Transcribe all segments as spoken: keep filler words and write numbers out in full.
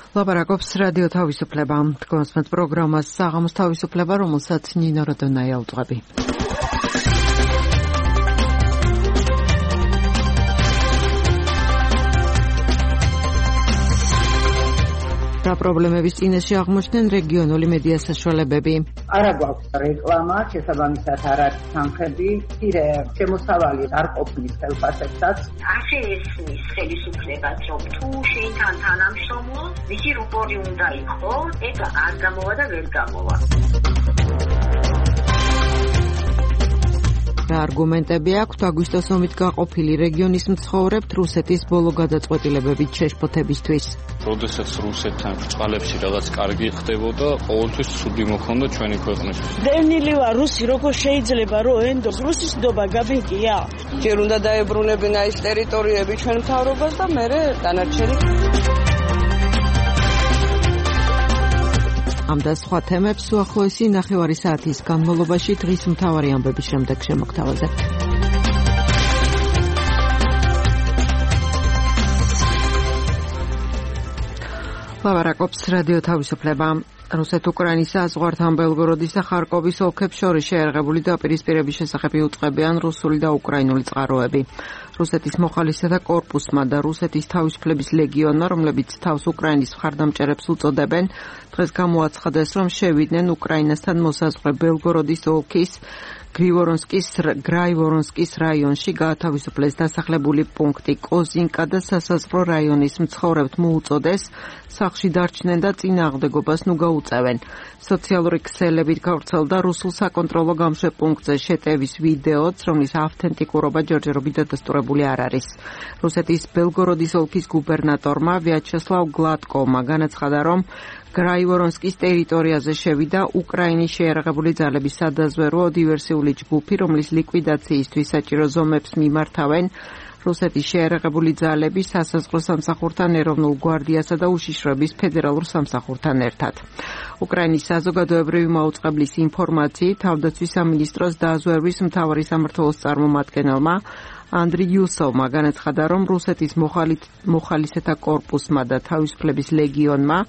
ლაპარაკობს რადიო თავისუფლება. თქვენს პროგრამას საღამოს თავისუფლება, რომელსაც ნინო როდონაია უძღვები. რა პრობლემების წინაშე აღმოჩნდნენ რეგიონული მედია საშუალებები? არა გვაქვს რეკლამა, შესაბამისად არ არის თანხები, მცირე შემოსავალი არ ყოფნის ხელფასებსაც. ასე ესმის ხელისუფლებას, რომ თუ შეითან თანამშრომლო, მისი რუპორი უნდა იყოს, ეგ არ გამოვა და ვერ გამოვა. რა არგუმენტები აქვთ აგვისტოს ომით გაყოფილი რეგიონის მცხოვრებთ რუსეთის ბოლო გადაწყვეტილებებით შეშფოთებისთვის? როდესაც რუსეთთან ბრწყალებში რაღაც კარგი ხდებოდა, ყოველთვის ცუდი მოხდა ჩვენი ქვეყნისთვის. დევნილი ვარ რუსი, როგორ შეიძლება რომ ენდოს რუსის ნდობა გაბინკია? ჯერ უნდა დაებრუნებინა ის ტერიტორიები ჩვენ მთავრობას და მერე დანარჩენი. ამ და სხვა თემებს უახლოესი ნახევარი საათის განმავლობაში დღის მთავარი ამბების შემდეგ შემოგთავაზებთ. ლაპარაკობს რადიო თავისუფლება. რუსეთ-უკრაინის საზღვართან ბელგოროდის და ხარკოვის ოლქებს შორის შეერაღებული დაპირისპირების შესახებ იუწყებიან რუსული და უკრაინული წყაროები. რუსეთის მოხალისეთა კორპუსმა და რუსეთის თავისუფლების ლეგიონმა, რომლებიც თავს უკრაინის მხარდამჭერებს უწოდებენ, დღეს გამოაცხადეს, რომ შევიდნენ უკრაინასთან მოსაზღვრე ბელგოროდის ოლქის გრაივორონსკის გრაივორონსკის რაიონში გაათავისუფლეს დასახლებული პუნქტი კოზინკა და სასაზღვრო რაიონის მცხოვრებთ მოუწოდეს სახლში დარჩნენ და წინააღმდეგობას ნუ გაუწევენ. სოციალური ქსელებით გავრცელდა რუსულ საკონტროლო გამშვებპუნქტზე შეტევის ვიდეოც, რომლის ავთენტიკურობა ჯერჯერობით დადასტურებული არ არის. რუსეთის ბელგოროდის ოლქის გუბერნატორმა ვიაჩესლავ გლატკოვმა განაცხადა, რომ გრაივორონსკის ტერიტორიაზე შევიდა უკრაინის შეიარაღებული ძალების სადაზვერვო დივერსიული ჯგუფი, რომლის ლიკვიდაციისთვის საჭირო ზომებს მიმართავენ რუსეთის შეიარაღებული ძალები სასაზღვრო სამსახურთან, ეროვნულ გვარდიასა და უშიშროების ფედერალურ სამსახურთან ერთად. უკრაინის საზოგადოებრივი მაუწყებლის ინფორმაციით, თავდაცვის სამინისტროს დაზვერვის მთავარი სამმართველოს წარმომადგენელმა ანდრი იუსოვმა განაცხადა, რომ რუსეთის მოხალისეთა კორპუსმა და თავისუფლების ლეგიონმა,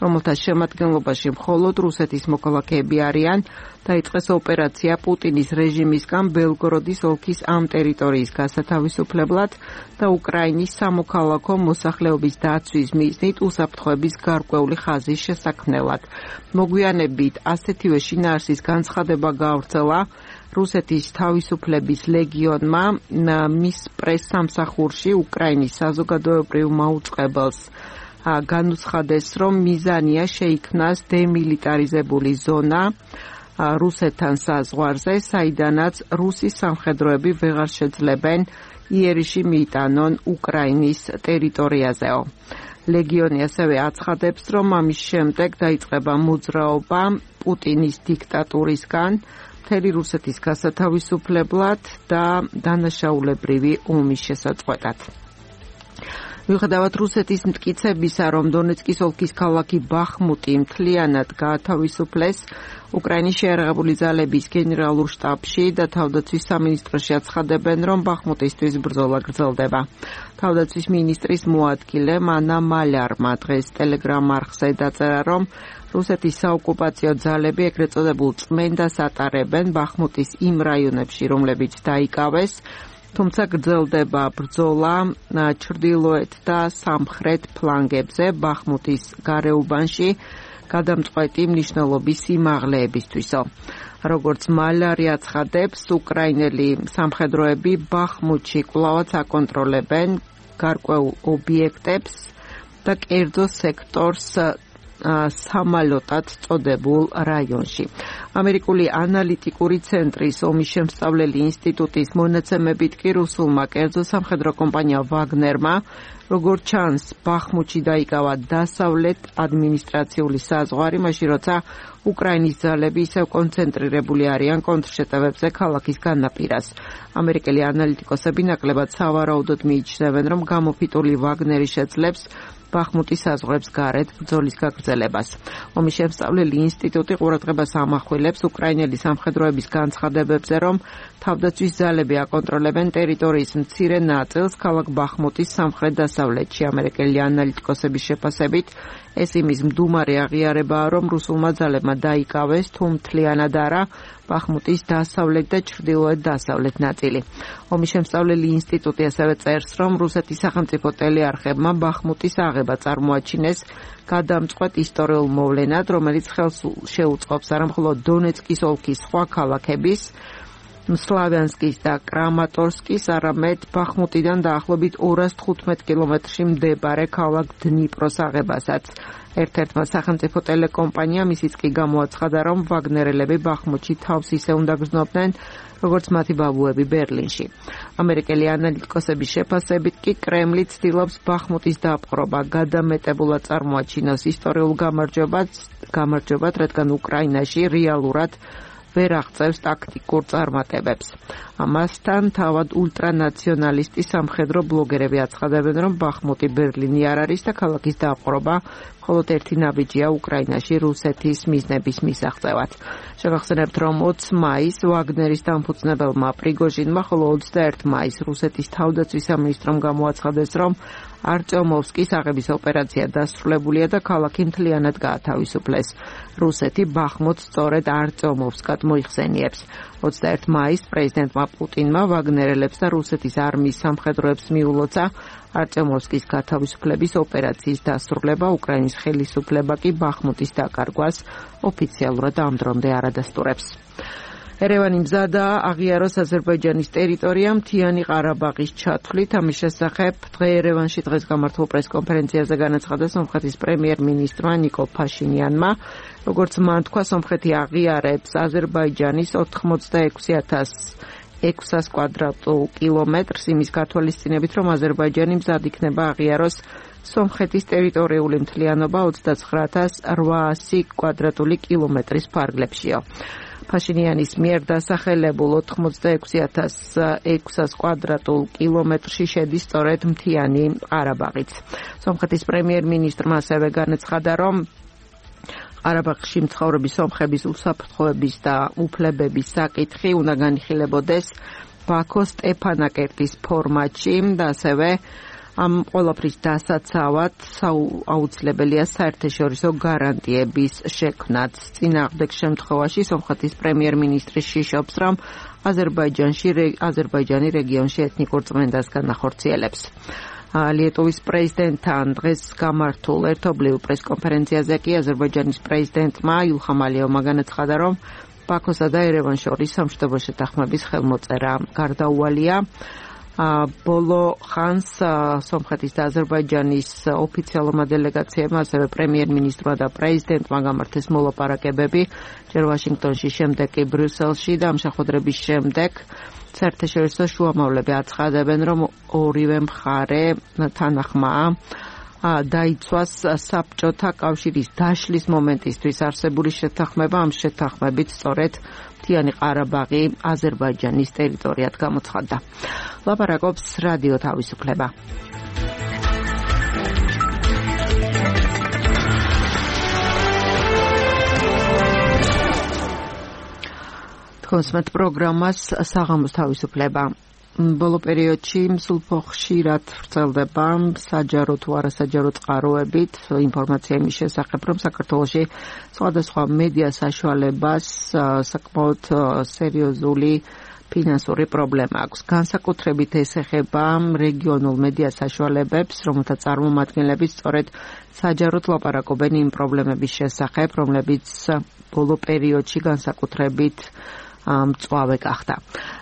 რომელთა შემადგენლობაში მხოლოდ რუსეთის მოქალაქეები არიან, დაიწყეს ოპერაცია პუტინის რეჟიმისგან ბელგოროდის ოლქის ამ ტერიტორიის გასათავისუფლებლად და უკრაინის სამოქალაქო მოსახლეობის დაცვის მიზნით უსაფრთხოების გარკვეული ხაზის შესაქმნელად. მოგვიანებით ასეთივე შინაარსის განცხადება გავრცელა რუსეთის თავისუფლების ლეგიონმა მის პრეს-სამსახურში უკრაინის საზოგადოებრივ მაუწყებელს განუცხადეს, რომ მიზანია შეიქმნას დემილიტარიზებული ზონა რუსეთთან საზღვარზე, საიდანაც რუსის სამხედროები ვეღარ შეძლებენ იერიში მიიტანონ უკრაინის ტერიტორიაზეო. ლეგიონი ასევე აცხადებს, რომ ამის შემდეგ დაიწყება მოძრაობა პუტინის დიქტატურისგან მთელი რუსეთის გასათავისუფლებლად და დანაშაულებრივი ომის შესაწყვეტად. მიუხედავად რუსეთის მტკიცებისა, რომ დონეცკის ოლქის ქალაქი ბახმუტი მთლიანად გაათავისუფლეს, უკრაინის შეიარაღებული ძალების გენერალურ შტაბში და თავდაცვის სამინისტროში აცხადებენ, რომ ბახმუტისთვის ბრძოლა გრძელდება. თავდაცვის მინისტრის მოადგილე მანა მალარმა დღეს ტელეგრამ არხზე დაწერა, რომ რუსეთის საოკუპაციო ძალები ეგრეთ წოდებულ წმენდას ატარებენ ბახმუტის იმ რაიონებში, რომლებიც დაიკავეს, თუმცა გრძელდება ბრძოლა ჩრდილოეთ და სამხრეთ ფლანგებზე ბახმუტის გარეუბანში გადამწყვეტი მნიშვნელობის სიმაღლეებისთვისო. როგორც მალარი აცხადებს, უკრაინელი სამხედროები ბახმუტში კვლავაც აკონტროლებენ გარკვეულ ობიექტებს და კერძო სექტორს სამალოტად წოდებულ რაიონში. ამერიკული ანალიტიკური ცენტრის ომის შემსწავლელი ინსტიტუტის მონაცემებით კი რუსულმა კერძო სამხედრო კომპანია ვაგნერმა, როგორც ჩანს, ბახმუტში დაიკავა დასავლეთ ადმინისტრაციული საზღვარი, მაშინ როცა უკრაინის ძალები ისევ კონცენტრირებული არიან კონტრშეტევებზე ქალაქის განაპირას. ამერიკელი ანალიტიკოსები ნაკლებად სავარაუდოდ მიიჩნევენ, რომ გამოფიტული ვაგნერი შეძლებს ბახმუტის საზღვრებს გარეთ ბრძოლის გაგრძელებას. ომის შემსწავლელი ინსტიტუტი ყურადღებას ამახვილებს უკრაინელი სამხედროების განცხადებებზე, რომ თავდაცვის ძალები აკონტროლებენ ტერიტორიის მცირე ნაწილს ქალაქ ბახმუტის სამხრეთ-დასავლეთში. ამერიკელი ანალიტიკოსების შეფასებით ეს იმის მდუმარი აღიარებაა, რომ რუსულმა ძალებმა დაიკავეს თუ მთლიანად არა ბახმუტის დასავლეთ და ჩრდილოეთ-დასავლეთ ნაწილი. ომის შემსწავლელი ინსტიტუტი ასევე წერს, რომ რუსეთის სახელმწიფო ტელეარხებმა ბახმუტის აღება წარმოაჩინეს გადამწყვეტ ისტორიულ მოვლენად, რომელიც ხელს შეუწყობს არა მხოლოდ დონეცკის ოლქის სხვა ქალაქების, სლავიანსკის და კრამატორსკის, არამედ ბახმუტიდან დაახლოებით ორას თხუთმეტ კილომეტრში მდებარე ქალაქ დნიპროს აღებასაც. ერთ-ერთმა სახელმწიფო ტელეკომპანიამ ისიც კი გამოაცხადა, რომ ვაგნერელები ბახმუტში თავს ისე უნდა გრძნობდნენ, როგორც მათი ბაბუები ბერლინში. ამერიკელი ანალიტიკოსების შეფასებით კი კრემლი ცდილობს ბახმუტის დაპყრობა გადამეტებულად წარმოაჩინოს ისტორიულ გამარჯვებას, გამარჯვებად, რადგან უკრაინაში რეალურად ვერ აღწევს ტაქტიკურ წარმატებებს. ამასთან თავად ულტრანაციონალისტი სამხედრო ბლოგერები აცხადებენ, რომ ბახმუტი ბერლინი არ არის და ქალაქის დაპყრობა მხოლოდ ერთი ნაბიჯია უკრაინაში რუსეთის მიზნების მისაღწევად. შევახსენებთ, რომ ოცი მაისს ვაგნერის დამფუძნებელმა პრიგოჟინმა, ხოლო ოცდაერთი მაისს რუსეთის თავდაცვის სამინისტრომ გამოაცხადეს, რომ არტემოვსკის აღების ოპერაცია დასრულებულია და ქალაქი მთლიანად გაათავისუფლეს. რუსეთი ბახმუტს სწორედ არტემოვსკად მოიხსენიებს. ოცდაერთი მაისს პრეზიდენტმა პუტინმა ვაგნერელებს და რუსეთის არმიის სამხედროებს მიულოცა არტემოვსკის გათავისუფლების ოპერაციის დასრულება, უკრაინის ხელისუფლება კი ბახმუტის დაკარგვას ოფიციალურად ამ დრომდე არ ადასტურებს. ერევანი მზადაა აღიაროს აზერბაიჯანის ტერიტორია მთიანი ყარაბაღის ჩათვლით. ამის შესახებ დღე ერევანში დღეს გამართულ პრესკონფერენციაზე განაცხადა სომხეთის პრემიერ-მინისტრმა ნიკოლ ფაშინიანმა. როგორც მან თქვა, სომხეთი აღიარებს აზერბაიჯანის ოთხმოცდაექვსი ათას ექვსას კვადრატულ კილომეტრს იმის გათვალისწინებით, რომ აზერბაიჯანი მზად იქნება აღიაროს სომხეთის ტერიტორიული მთლიანობა ოცდაცხრა ათას რვაასი კვადრატული კილომეტრის ფარგლებშიო. ფაშინიანის მიერ დასახელებულ ოთხმოცდაექვსი ათას ექვსას კვადრატულ კილომეტრში შედის სწორედ მთიანი ყარაბაღიც. სომხეთის პრემიერ-მინისტრმა ასევე განაცხადა, რომ ყარაბაღში მცხოვრები სომხების უსაფრთხოების და უფლებების საკითხი უნდა განიხილებოდეს ბაქოს სტეფანაკერტის ფორმატში და ასევე ამ ყველაფრის დასაცავად აუცილებელია საერთაშორისო გარანტიების შექმნაც. წინააღმდეგ შემთხვევაში სომხეთის პრემიერ-მინისტრი შიშობს, რომ აზერბაიჯანში აზერბაიჯანი რეგიონში ეთნიკურ წმენდას განახორციელებს. ლიეტუვის პრეზიდენტთან დღეს გამართულ ერთობლივ პრესკონფერენციაზე კი აზერბაიჯანის პრეზიდენტმა ილჰამ ალიევმა განაცხადა, რომ ბაქოსა და ერევანს შორის სამშვიდობო შეთანხმების ხელმოწერა გარდაუვალია. ბოლო ხანს სომხეთის და აზერბაიჯანის ოფიციალურმა დელეგაციებმა, ასევე პრემიერ-მინისტრმა და პრეზიდენტმა გამართეს მოლაპარაკებები, ჯერ ვაშინგტონში, შემდეგ კი ბრიუსელში და ამ შეხვედრების შემდეგ საერთაშორისო შუამავლები აცხადებენ, რომ ორივე მხარე თანახმაა დაიცვას საბჭოთა კავშირის დაშლის მომენტისთვის არსებული შეთანხმება. ამ შეთანხმებით სწორედ მთიანი ყარაბაღი აზერბაიჯანის ტერიტორიად გამოცხადდა. ლაპარაკობს რადიო თავისუფლება. თქოსმეთ პროგრამას საღამოს თავისუფლება. ბოლო პერიოდში სულ ხშირად ვრცელდება საჯარო თუ არასაჯარო წყაროებით ინფორმაცია იმის შესახებ, რომ საქართველოში სხვადასხვა მედია საშუალებას საკმაოდ სერიოზული ფინანსური პრობლემა აქვს. განსაკუთრებით ეს ეხება რეგიონულ მედია საშუალებებს, რომელთა წარმომადგენლები სწორედ საჯაროდ ლაპარაკობენ იმ პრობლემების შესახებ, რომლებიც ბოლო პერიოდში განსაკუთრებით მწვავე გახდა.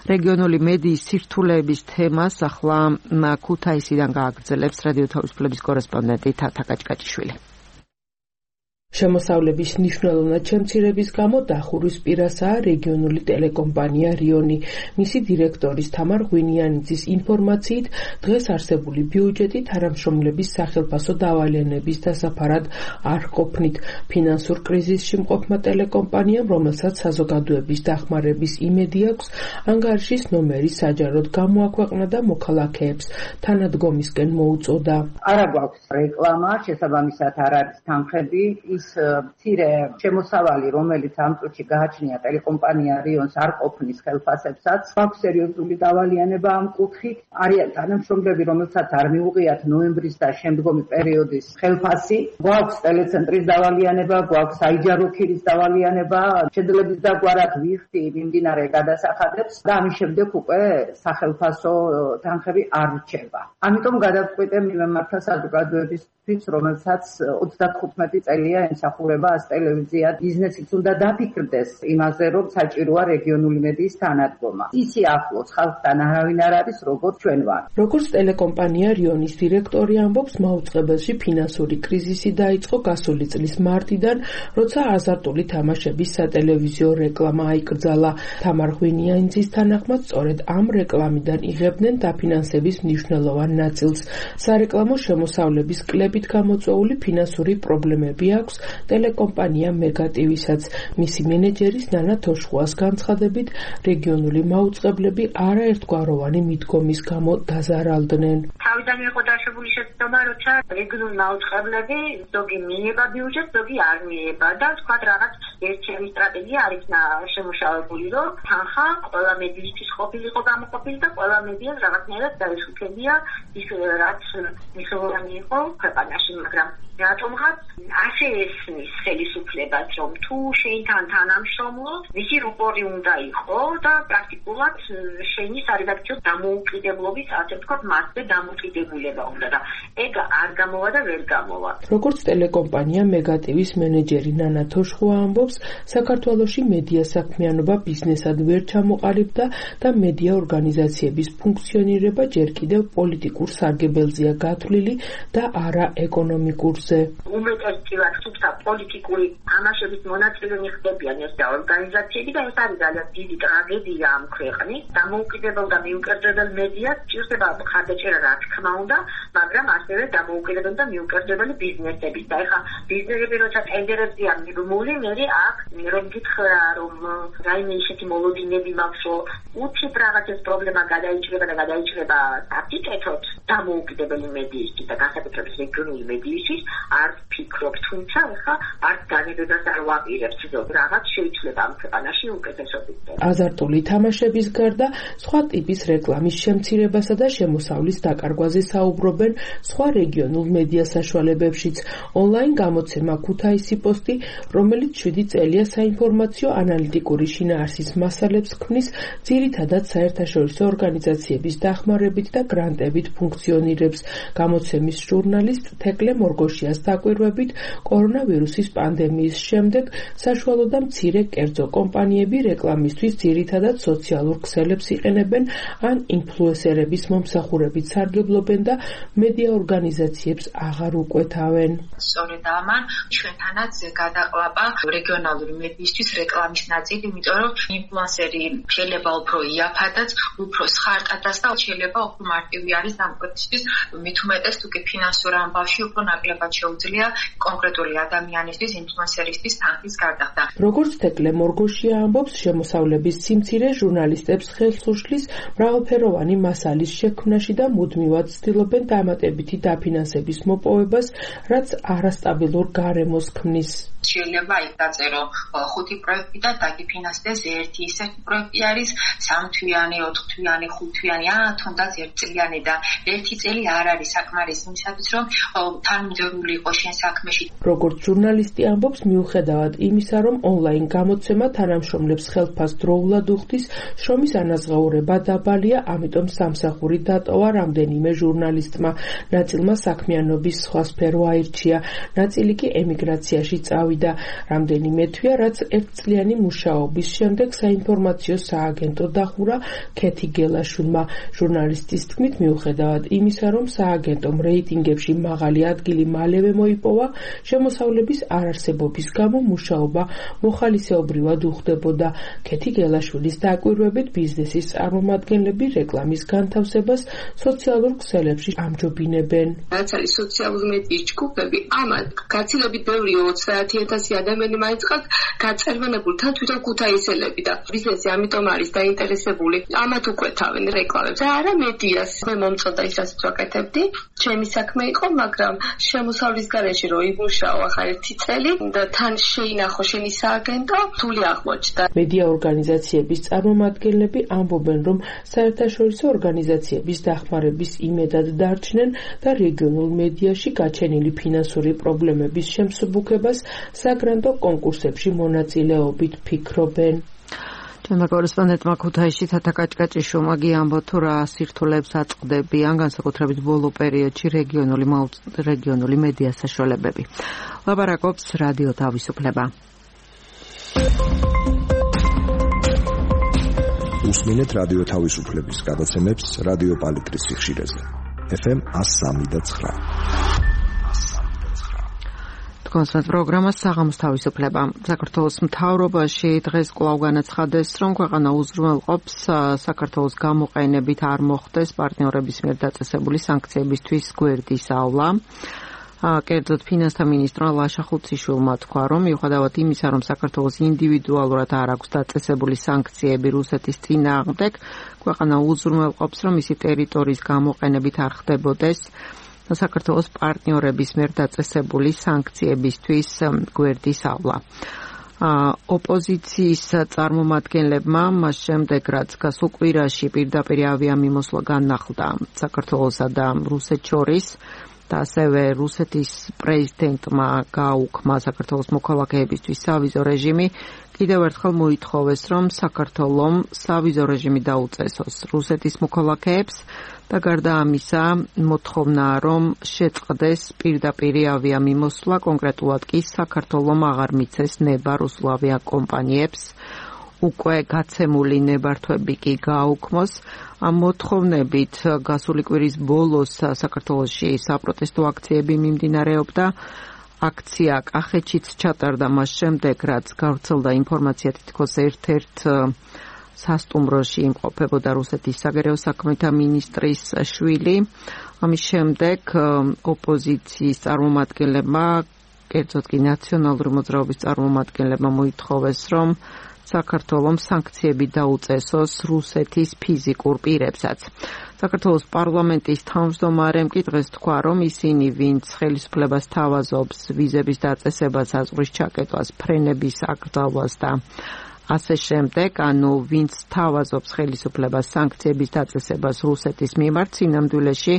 რეგიონული მედიის სირთულეების თემას ახლა ქუთაისიდან გააგრძელებს რადიო თავისუფლების კორესპონდენტი თათა კაჭკაჭიშვილი. შემოსავლების მნიშვნელოვნად შემცირების გამო დახურვის პირასაა რეგიონული ტელეკომპანია რიონი. მისი დირექტორის თამარ ღვინიანიძის ინფორმაციით, დღეს არსებული ბიუჯეტი თანამშრომლების სახელფასო დავალიანების დასაფარად არ ყოფნით. ფინანსურ კრიზისში მყოფმა ტელეკომპანიამ, რომელსაც საზოგადოების დახმარების იმედი აქვს, ანგარიშის ნომერი საჯაროდ გამოაქვეყნა და მოქალაქეებს თანადგომისკენ მოუწოდა. არა გვაქვს რეკლამა, შესაბამისად არ არის თანხები. მცირე შემოსავალი, რომელიც ამ წუთში გააჩნია ტელეკომპანია რიონს არ ყოფნის ხელფასებსაც, გვაქვს სერიოზული დავალიანება ამ კუთხით. არიან თანამშრომლები, რომელსაც არ მიუღიათ ნოემბრის და შემდგომი პერიოდის ხელფასი. გვაქვს ტელეცენტრის დავალიანება, გვაქვს საიჯარო ქირის დავალიანება, შედლების დაგვარად ვიხდი მიმდინარე გადასახადებს და ამის შემდეგ უკვე სახელფასო თანხები არ რჩება. ამიტომ გადავწყვიტე მიმართა საზოგადოებისთვის, რომელსაც ოცდათხუთმეტი წელია ემსახურება ას ტელევიზია ბიზნესიც უნდა დაფიქრდეს იმაზე, რომ საჭიროა რეგიონული მედიის თანადგომა. ისი ახლოს ხალხთან არავინ არ არის, როგორც ჩვენ ვართ. როგორც ტელეკომპანია რიონის დირექტორი ამბობს, მაუწყებელში ფინანსური კრიზისი დაიწყო გასული წლის მარტიდან, როცა აზარტული თამაშების სატელევიზიო რეკლამა აიკრძალა. თამარ ღვინიანიძის თანახმად, სწორედ ამ რეკლამიდან იღებდნენ დაფინანსების მნიშვნელოვან ნაწილს. სარეკლამო შემოსავლების კლებით გამოწვეული ფინანსური პრობლემები აქვს ტელეკომპანია მეგატივისაც. მისი მენეჯერის ნანა თოშხუას განცხადებით, რეგიონული მაუწყებლები არაერთგვაროვანი მიდგომის გამო დაზარალდნენ. თავიდან იყო დაშვებული შეცდომა, როცა რეგიონული მაუწყებლები ზოგი მიება ბიუჯეტს, ზოგი არ მიება და თქვა რაღაც ერთიანი სტრატეგია არ იქნა შემუშავებული, რომ თანხა ყველა მედიისთვის ყოფილიყო გამოყოფილი და ყველა მედიას რაღაცნაირად დაეშუქებია ის რაც მნიშვნელოვანი იყო ქვეყანაში, მაგრამ რატომღაც ასე ესმის ხელისუფლებას, რომ თუ შეინთან თანამშრომლობ, მისი რუპორი უნდა იყო და პრაქტიკულად შენი სარედაქციო დამოუკიდებლობის, ასე ვთქვათ, მასზე დამოკიდებულება უნდა და ეგ არ გამოვა და ვერ გამოვა. როგორც ტელეკომპანია მეგატივის მენეჯერი ნანა თოშხუა ამბობს, საქართველოში მედია საქმიანობა ბიზნესად ვერ ჩამოყალიბდა და მედია ორგანიზაციების ფუნქციონირება ჯერ კიდევ პოლიტიკურ სარგებელზეა გათვლილი და არა ეკონომიკურზე. უმეტესწილად თუმცა პოლიტიკური თამაშების მონაწილენი ხდებიან ეს და ორგანიზაციები და ეს არის ძალიან დიდი ტრაგედია ამ ქვეყნის. დამოუკიდებელ და მიუკერდებელ მედიას ჭირდება მხარდაჭერა, რა თქმა უნდა, მაგრამ ასევე დამოუკიდებელ და მიუკერდებელი ბიზნესები. და ეხლა ბიზნესები როცა ტენდერებზეა მიბმული, მე აქ რომ გითხრა, რომ რაიმე ისეთი მოლოდინები მაქვს, რომ უცებ რაღაცის პრობლემა გადაიჭრება და გადაიჭრება საფრთხეთოთ დამოუკიდებელი მედიისთვის და განსაკუთრებით რეგიონული მედიისთვის არ ფიქრობ, თუმცა ახლა არ განებებას არ ვაპირებ, რომ რაღაც შეიძლება ამ ქვეყანაში უკეთესობით. აზარტული თამაშების გარდა სხვა ტიპის რეკლამის შემცირებასა და შემოსავლის დაკარგვაზე საუბრობენ სხვა რეგიონულ მედია საშუალებებშიც. ონლაინ გამოცემა ქუთაისი პოსტი, რომელიც შვიდი წელია საინფორმაციო ანალიტიკური შინაარსის მასალებს ქმნის, ძირითადად საერთაშორისო ორგანიზაციების დახმარებით და გრანტებით ფუნქციონირებს. გამოცემის ჟურნალისტ თეკლე მორგოშიას დაკვირვებით, კორონავირუსის პანდემიის შემდეგ საშუალო და მცირე კერძო კომპანიები რეკლამისთვის ძირითადად სოციალურ ქსელებს იყენებენ ან ინფლუენსერების მომსახურებით სარგებლობენ და მედია ორგანიზაციებს აღარ უკვეთავენ. სწორედ ამან ჩვენთანაც გადაყლაპა რეგიონალური მედიისთვის რეკლამის ნაწილი, იმიტომ რომ ინფლუენსერი შეიძლება უფრო იაფადაც, უფრო სხარტადაც და შეიძლება უფრო მარტივი არის დამკვეთისთვის, მით უმეტეს თუ კი ფინანსურ ამბავში უფრო ნაკლებად შეუძლია კონკრეტული ადამიანისთვის, ინფლუენსერისთვის თანხის გარდახდა. როგორც თეკლე მორგოშია ამბობს, შემოსავლების სიმცირე ჟურნალისტებს ხელს უშლის მრავალფეროვანი მასალის შექმნაში და მუდმივად ცდილობენ დამატებითი დაფინანსების მოპოვებას, რაც არასტაბილურ გარემოს ქმნის. შეიძლება იქ დაწერო ხუთი პროექტი და დაგიფინანსდეს ერთი ისეთი პროექტი არის სამთვიანი, ოთხთვიანი, ხუთთვიანი, ა თუნდაც ერთწლიანი და ერთი წელი არ არის საკმარისი იმისათვის, რომ თანმიმდევრული იყო შენ საქმეში. როგორც ჟურნალისტი ამბობს, მიუხედავად იმისა, რომ ონლაინ გამოცემა თანამშრომლებს ხელფას დროულად უხდის, შრომის ანაზღაურება დაბალია, ამიტომ სამსახური დატოვა რამდენიმე ჟურნალისტმა. ნაწილმა საქმიანობის სხვა სფერო აირჩია, ნაწილი კი ემიგრაციაში წავიდა. რამდენიმე თვია, რაც ერთწლიანი მუშაობის შემდეგ საინფორმაციო სააგენტო დახურა ქეთი გელაშვილმა. ჟურნალისტის თქმით, მიუხედავად იმისა, რომ სააგენტომ რეიტინგებში მაღალი ადგილი მალე მალევე მოიპოვა, შემოსავლების არარსებობის გამო მუშაობა მოხალისეობრივად უხდებოდა. ქეთი გელაშვილის დაკვირვებით ბიზნესის წარმომადგენლები რეკლამის განთავსებას სოციალურ ქსელებში ამჯობინებენ. რაც არის სოციალური მედიის ჯგუფები, ამან გაცილებით ბევრი ოცდაათი ათასი ადამიანი მაინც ყავთ გაწერმანებული თან თვითონ ქუთაისელები და ბიზნესი ამიტომ არის დაინტერესებული ამათ უკვეთავენ რეკლამებს და არა მედიას. მე მომწონდა ის რაც ვაკეთებდი, ჩემი საქმე იყო, მაგრამ შემოსავლის გარეშე რო იმუშაო ახლა ერთი წელი და თან შეინახო შენი სააგენტო, რთული აღმოჩნდა. მედია ორგანიზაციების წარმომადგენლები ამბობენ, რომ საერთაშორისო ორგანიზაციების დახმარების იმედად დარჩნენ და რეგიონულ მედიაში გაჩენილი ფინანსური პრობლემების შემსუბუქებას საგრანტო კონკურსებში მონაწილეობით ფიქრობენ. ჩვენმა კორესპონდენტმა ქუთაისში თათა კაჭკაჭიშვილმა გიამბო თუ რა სირთულეებს აწყდებიან განსაკუთრებით ბოლო პერიოდში რეგიონული რეგიონული მედია საშუალებები. ლაბარაკობს რადიო თავისუფლება. უსმინეთ რადიო თავისუფლების გადაცემებს რადიო პალიტრის სიხშირეზე. ეფ ემ one oh three და nine. კონსერტ პროგრამა საღამოს თავისუფლება. საქართველოს მთავრობაში დღეს კვლავ განაცხადეს, რომ ქვეყანა უზრუნველყოფს საქართველოს გამოყენებით არ მოხდეს პარტნიორების მიერ დაწესებული სანქციებისთვის გვერდის ავლა. კერძოდ ფინანსთა მინისტრმა ლაშა ხუციშვილმა თქვა, რომ მიუხედავად იმისა, რომ საქართველოს ინდივიდუალურად არ აქვს დაწესებული სანქციები რუსეთის წინააღმდეგ, ქვეყანა უზრუნველყოფს, რომ მისი ტერიტორიის გამოყენებით არ ხდებოდეს საქართველოს პარტნიორების მიერ დაწესებული სანქციებისთვის გვერდის ავლა. ოპოზიციის წარმომადგენლებმა მას შემდეგ, რაც გასულ კვირაში პირდაპირ ავიამიმოსვლა განახლდა საქართველოსა და რუსეთს შორის და ასევე რუსეთის პრეზიდენტმა გააუქმა საქართველოს მოქალაქეებისთვის სავიზო რეჟიმი, კიდევ ერთხელ მოითხოვეს, რომ საქართველომ სავიზო რეჟიმი დაუწესოს რუსეთის მოქალაქეებს და გარდა ამისა მოთხოვნა, რომ შეწყდეს პირდაპირი ავიამიმოსვლა, კონკრეტულად კი საქართველომ აღარ მიცეს ნება რუსულ ავიაკომპანიებს, უკვე გაცემული ნებართვები კი გააუქმოს. ამ მოთხოვნებით გასული კვირის ბოლოს საქართველოში საპროტესტო აქციები მიმდინარეობდა. აქცია კახეთშიც ჩატარდა მას შემდეგ, რაც გავრცელდა ინფორმაცია, თითქოს ერთ-ერთ სასტუმროში იმყოფებოდა რუსეთის საგარეო საქმეთა მინისტრის შვილი. ამის შემდეგ ოპოზიციის წარმომადგენლებმა, კერძოდ კი ნაციონალური მოძრაობის წარმომადგენლებმა მოითხოვეს, რომ საქართველომ სანქციები დაუწესოს რუსეთის ფიზიკურ პირებსაც. საქართველოს პარლამენტის თავმჯდომარემ კი დღეს თქვა, რომ ისინი, ვინც ხელისუფლებას თავაზობს ვიზების დაწესებას, აზღვრის ჩაკეტვას, ფრენების აკრძალვას და ასე შემდეგ, ანუ ვინც თავაზობს ხელისუფლებას სანქციების დაწესებას რუსეთის მიმართ, სინამდვილეში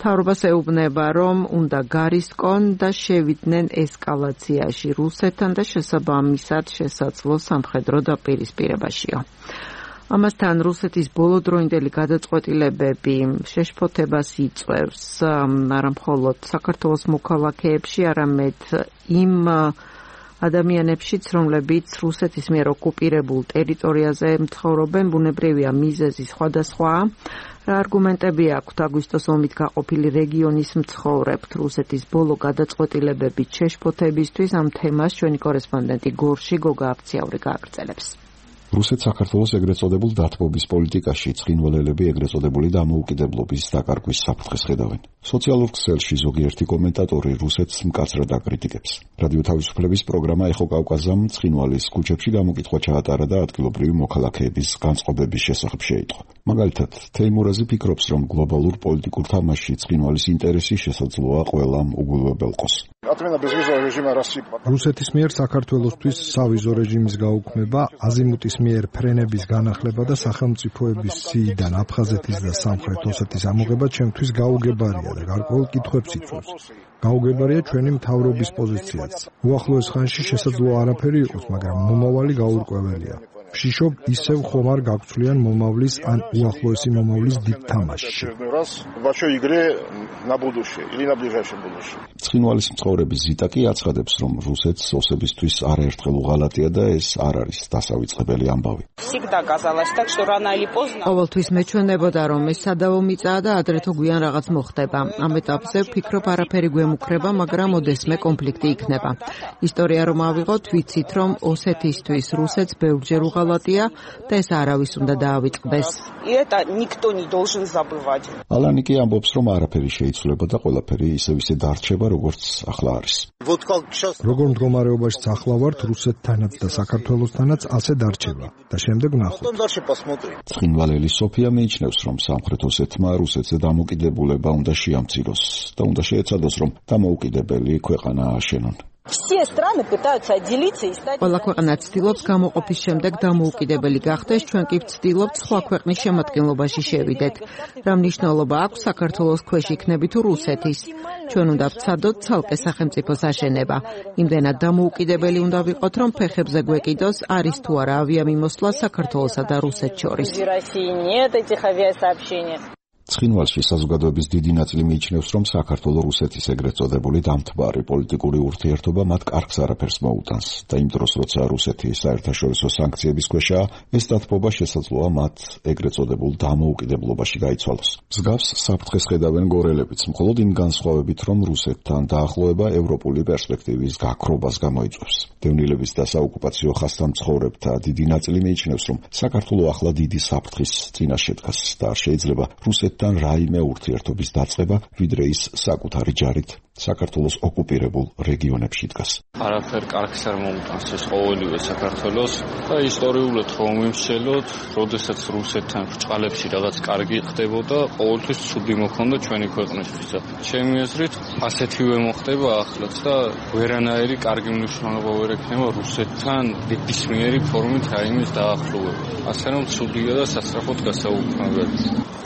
მთავრობას ეუბნება, რომ უნდა გარისკონ და შევიდნენ ესკალაციაში რუსეთთან და შესაბამისად შესაძლო სამხედრო დაპირისპირებაშიო. ამასთან რუსეთის ბოლოდროინდელი გადაწყვეტილებები შეშფოთებას იწვევს არა მხოლოდ საქართველოს მოქალაქეებში, არამედ იმ ადამიანებშიც, რომლებიც რუსეთის მიერ ოკუპირებულ ტერიტორიაზე მცხოვრობენ, ბუნებრივია მიზეზი სხვადასხვა. რა არგუმენტები აქვთ აგვისტოს ომით გაყოფილი რეგიონის მცხოვრებთ რუსეთის ბოლო გადაწყვეტილებებით შეშფოთებისთვის? ამ თემას ჩვენი კორესპონდენტი გორში გოგა აფციაური გააგრძელებს. რუსეთ საქართველოს ეგრეთ წოდებულ დათბობის პოლიტიკაში ცხინვალელები ეგრეთ წოდებული დამოუკიდებლობის დაკარგვის საფრთხეს ხედავენ. სოციალურ ქსელში ზოგიერთი კომენტატორი რუსეთს მკაცრად აკრიტიკებს. რადიო თავისუფლების პროგრამა ეხო კავკაზამ ცხინვალის ქუჩებში გამოკითხვა ჩაატარა და ადგილობრივი მოქალაქეების განწყობების შესახებ შეიტყო. მაგალითად, თეიმურაზი ფიქრობს, რომ გლობალურ პოლიტიკურ თამაშში ცხინვალის ინტერესი შესაძლოა ყველამ უგულებელყოს. რუსეთის მიერ საქართველოსთვის სავიზო რეჟიმის გაუქმება, აზიმუტის მიერ ფრენების განახლება და სახელმწიფოების სიიდან აფხაზეთის და სამხრეთ ოსეთის ამოღება ჩემთვის გაუგებარია და გარკვეულ კითხვებს იწვევს. გაუგებარია ჩვენი მთავრობის პოზიციაც. უახლოეს ხანში შესაძლოა არაფერი იყოს, მაგრამ მომავალი გაურკვეველია. ვშიშობ ისევ ხომ არ გაგცვლიან მომავლის ან უახლოესი მომავლის დიდ თამაშში. ცხინვალის მცხოვრები ზიტა კი აცხადებს, რომ რუსეთს ოსებისთვის არაერთხელ უღალატია და ეს არ არის დასავიწყებელი ამბავი. ყოველთვის მეჩვენებოდა, რომ ეს სადავო მიწაა და ადრე თუ გვიან რაღაც მოხდება. ამ ეტაპზე ვფიქრობ, არაფერი გვემუქრება, მაგრამ ოდესმე კონფლიქტი იქნება. ისტორია რომ ავიღოთ, ვიცით, რომ ოსეთისთვის რუსეთს ბევრჯერ უღალატია და ეს არავის უნდა დაავიწყდეს. ალანი კი ამბობს, რომ არაფერი შეიცვლება და ყველაფერი ისევ ისე დარჩება, როგორც ახლა არის. როგორ მდგომარეობაშიც ახლა ვართ, რუსეთთანაც და საქართველოსთანაც ასე დარჩება და შემდეგ ვნახოთ. ცხინვალელი სოფია მიიჩნევს, რომ სამხრეთ ოსეთმა რუსეთზე დამოუკიდებულება უნდა შეამციროს და უნდა შეეცადოს, რომ დამოუკიდებელი ქვეყანა ააშენონ. ყველა ქვეყანა ცდილობს გამოყოფის შემდეგ დამოუკიდებელი გახდეს, ჩვენ კი ვცდილობთ სხვა ქვეყნის შემადგენლობაში შევიდეთ. რა მნიშვნელობა აქვს საქართველოს ქვეშ იქნები თუ რუსეთის? ჩვენ უნდა ვცადოთ ცალკე სახელმწიფოს აშენება. იმდენად დამოუკიდებელი უნდა ვიყოთ, რომ ფეხებზე გვეკიდოს, არის თუ არა ავიამიმოსვლა საქართველოსა და რუსეთს შორის. ცხინვალში საზოგადოების დიდი ნაწილი მიიჩნევს, რომ საქართველოს რუსეთის ეგრეთ წოდებული დამთბარი პოლიტიკური ურთიერთობა მათ კარგს არაფერს მოუტანს და იმ დროს, როცა რუსეთი საერთაშორისო სანქციების ქვეშაა, ეს დათბობა შესაძლოა მათ ეგრეთ წოდებულ დამოუკიდებლობაში გაიცვალოს. მსგავს საფრთხეს ხედავენ გორელებიც, მხოლოდ იმ განსხვავებით, რომ რუსეთთან დაახლოება ევროპული პერსპექტივის გაქრობას გამოიწვევს. დევნილების და საოკუპაციო ხასთან მცხოვრებთა დიდი ნაწილი მიიჩნევს, რომ საქართველოს ახლა დიდი საფრთხის წინაშე დგას და არ შეიძლება რუსეთთან რაიმე ურთიერთობის დაწყება, ვიდრე ის საკუთარი ჯარით საქართველოს ოკუპირებულ რეგიონებში დგას. არაფერ კარგს არ მოუტანს ეს ყოველივე საქართველოს და ისტორიულად რომ ვიმსჯელოთ, როდესაც რუსეთთან ბრჭყალებში რაღაც კარგი ხდებოდა, ყოველთვის ცუდი მოხდა ჩვენი ქვეყნისთვის. ჩემი აზრით, ასეთივე მოხდება ახლაც და ვერანაირი კარგი მნიშვნელობა ვერ ექნება რუსეთთან ნებისმიერი ფორმით რაიმეს დაახლოვება. ასე რომ ცუდია და სასწრაფოდ გასაუქმებელი.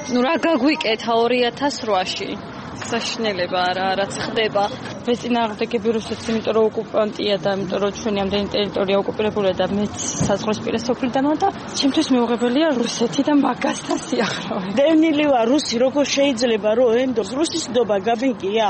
ნუ რა გაგვიკეთა ორი ათას რვაში? საშინელება არა, რაც ხდება. ვეწინააღმდეგები რუსეთს, იმიტომ რომ ოკუპანტია და იმიტომ რომ ჩვენი ამდენი ტერიტორია ოკუპირებულია და მეც საზღვრისპირა სოფლიდანვე და ჩემთვის მეუღებელია რუსეთი და მაგასთან სიახლოვე. დევნილი ვარ რუსი, როგორ შეიძლება რომ ენდოს რუსის ნდობა გამიგია?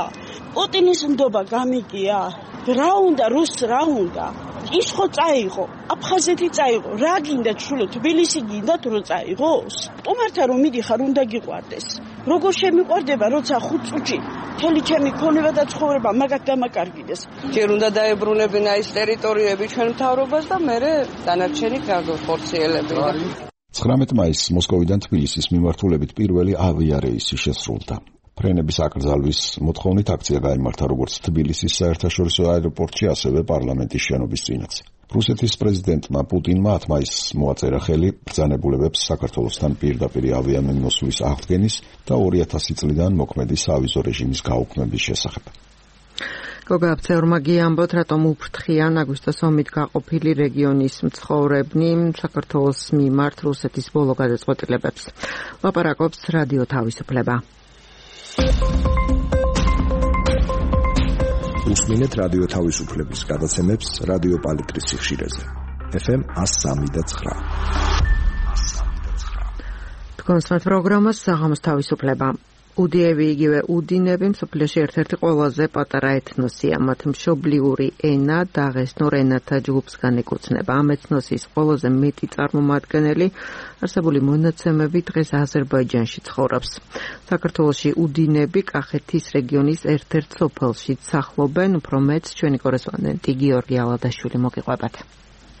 პუტინის ნდობა გამიგია? რა უნდა რუსს რა უნდა? ის ხო წაიღო, აფხაზეთი წაიღო, რა გინდა ჩულო, თბილისი გინდათ რომ წაიღოს? სტუმართან რომ მიდიხარ უნდა გიყვარდეს. როგორ შემიყვარდება, როცა ხუთ წუთში მთელი ჩემი ქონება და ცხოვრება მაგათ დამაკარგიდეს. ჯერ უნდა დაებრუნებინა ის ტერიტორიები ჩვენ მთავრობას და მერე დანარჩენი გავხორციელებინა. ცხრამეტ მაისს მოსკოვიდან თბილისის მიმართულებით პირველი ავიარეისი შესრულდა. ფრენების აკრძალვის მოთხოვნით აქცია გაიმართა როგორც თბილისის საერთაშორისო აეროპორტში, ასევე პარლამენტის შენობის წინაც. რუსეთის პრეზიდენტმა პუტინმა ათ მაისს მოაწერა ხელი ბრძანებულებებს საქართველოსთან პირდაპირი ავიამიმოსვლის აღდგენის და ორი ათასი წლიდან მოქმედი სავიზო რეჟიმის გაუქმების შესახებ. გოგა აფცეურმა გიამბოთ, რატომ უფრთხიან აგვისტოს ომით გაყოფილი რეგიონის მცხოვრებნი საქართველოს მიმართ რუსეთის ბოლო გადაწყვეტილებებს. ლაპარაკობს რადიო თავისუფლება. უსმინეთ რადიო თავისუფლების გადაცემებს რადიო პალიტრის სიხშირეზე. ეფ ემ one oh three point nine. თქვენ სმენთ პროგრამას საღამოს თავისუფლება. უდიები იგივე უდინები მსოფლიოში ერთ-ერთი ყველაზე პატარა ეთნოსია. მათ მშობლიური ენა დაღესტნურ ენათა ჯგუფს განეკუთვნება. ამ ეთნოსის ყველაზე მეტი წარმომადგენელი არსებული მონაცემები დღეს აზერბაიჯანში ცხოვრობს. საქართველოში უდინები კახეთის რეგიონის ერთ-ერთ სოფელში სახლობენ. უფრო მეტს ჩვენი კორესპონდენტი გიორგი ალადაშვილი მოგიყვებათ.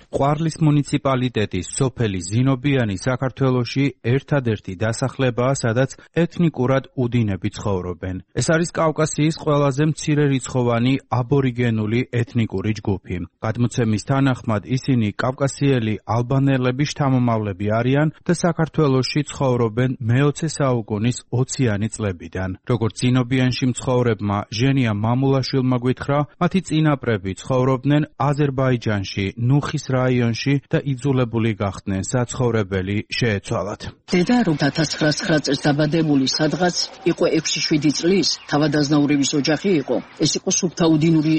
ყვარლის მუნიციპალიტეტის სოფელი ზინობიანი საქართველოში ერთადერთი დასახლებაა, სადაც ეთნიკურად უდინები ცხოვრობენ. ეს არის კავკასიის ყველაზე მცირერიცხოვანი აბორიგენული ეთნიკური ჯგუფი. გადმოცემის თანახმად ისინი კავკასიელი ალბანელების შთამომავლები არიან და საქართველოში ცხოვრობენ მეოცე საუკუნის ოციანი წლებიდან. როგორც ზინობიანში მცხოვრებმა ჟენია მამულაშვილმა გითხრა, მათი წინაპრები ცხოვრობდნენ აზერბაიჯანში, ნუხის რაიონში და იძულებული გახდნენ საცხოვრებელი შეეცვალათ. დედა რომ ათას ცხრაასი წელს დაბადებული სადღაც იყო ექვსი შვიდი წლის, თავადაზნაურების ოჯახი იყო. ეს იყო სუფთა უდინური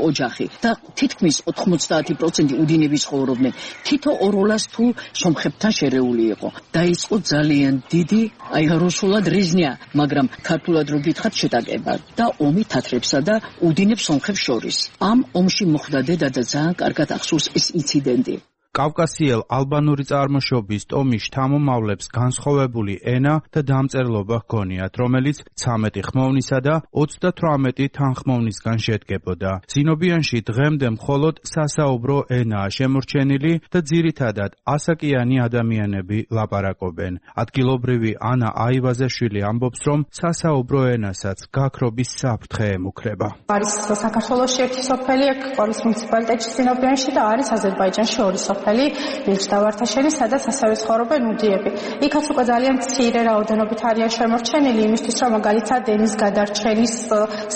ოჯახი და თითქმის ოთხმოცდაათი პროცენტი უდინების ცხოვრობდნენ. თითო ოროლას თუ სომხებთან შერეული იყო. დაიწყო ძალიან დიდი, აი რუსულად რიზნია, მაგრამ ქართულად რო გითხრათ შეტაკება და ომი თათრებსა და უდინებს სომხებს შორის. ამ ომში მოხდა დედა და ძალიან კარგად ახსოვს ეს ინციდენტი. კავკასიელ ალბანური წარმოშობის ტომის შთამომავლებს განსხვავებული ენა და დამწერლობა ჰქონიათ, რომელიც ცამეტი ხმოვნისა და ოცდათვრამეტი თანხმოვნისგან შედგებოდა. ზინობიანში დღემდე მხოლოდ სასაუბრო ენაა შემორჩენილი და ძირითადად ასაკიანი ადამიანები ლაპარაკობენ. ადგილობრივი ანა აივაზაშვილი ამბობს, რომ სასაუბრო ენასაც გაქრობის საფრთხე ემუქრება. არის საქართველოში ერთი სოფელი, ყოლის მუნიციპალიტეტში ზინობიანში და არის აზერბაიჯანში ორი სოფელი. მილჯდავართაშენი, სადაც ასევე ცხოვრობენ უდიები. იქაც უკვე ძალიან მცირე რაოდენობით არიან შემორჩენილი, იმისთვის რომ მაგალითად ენის გადარჩენის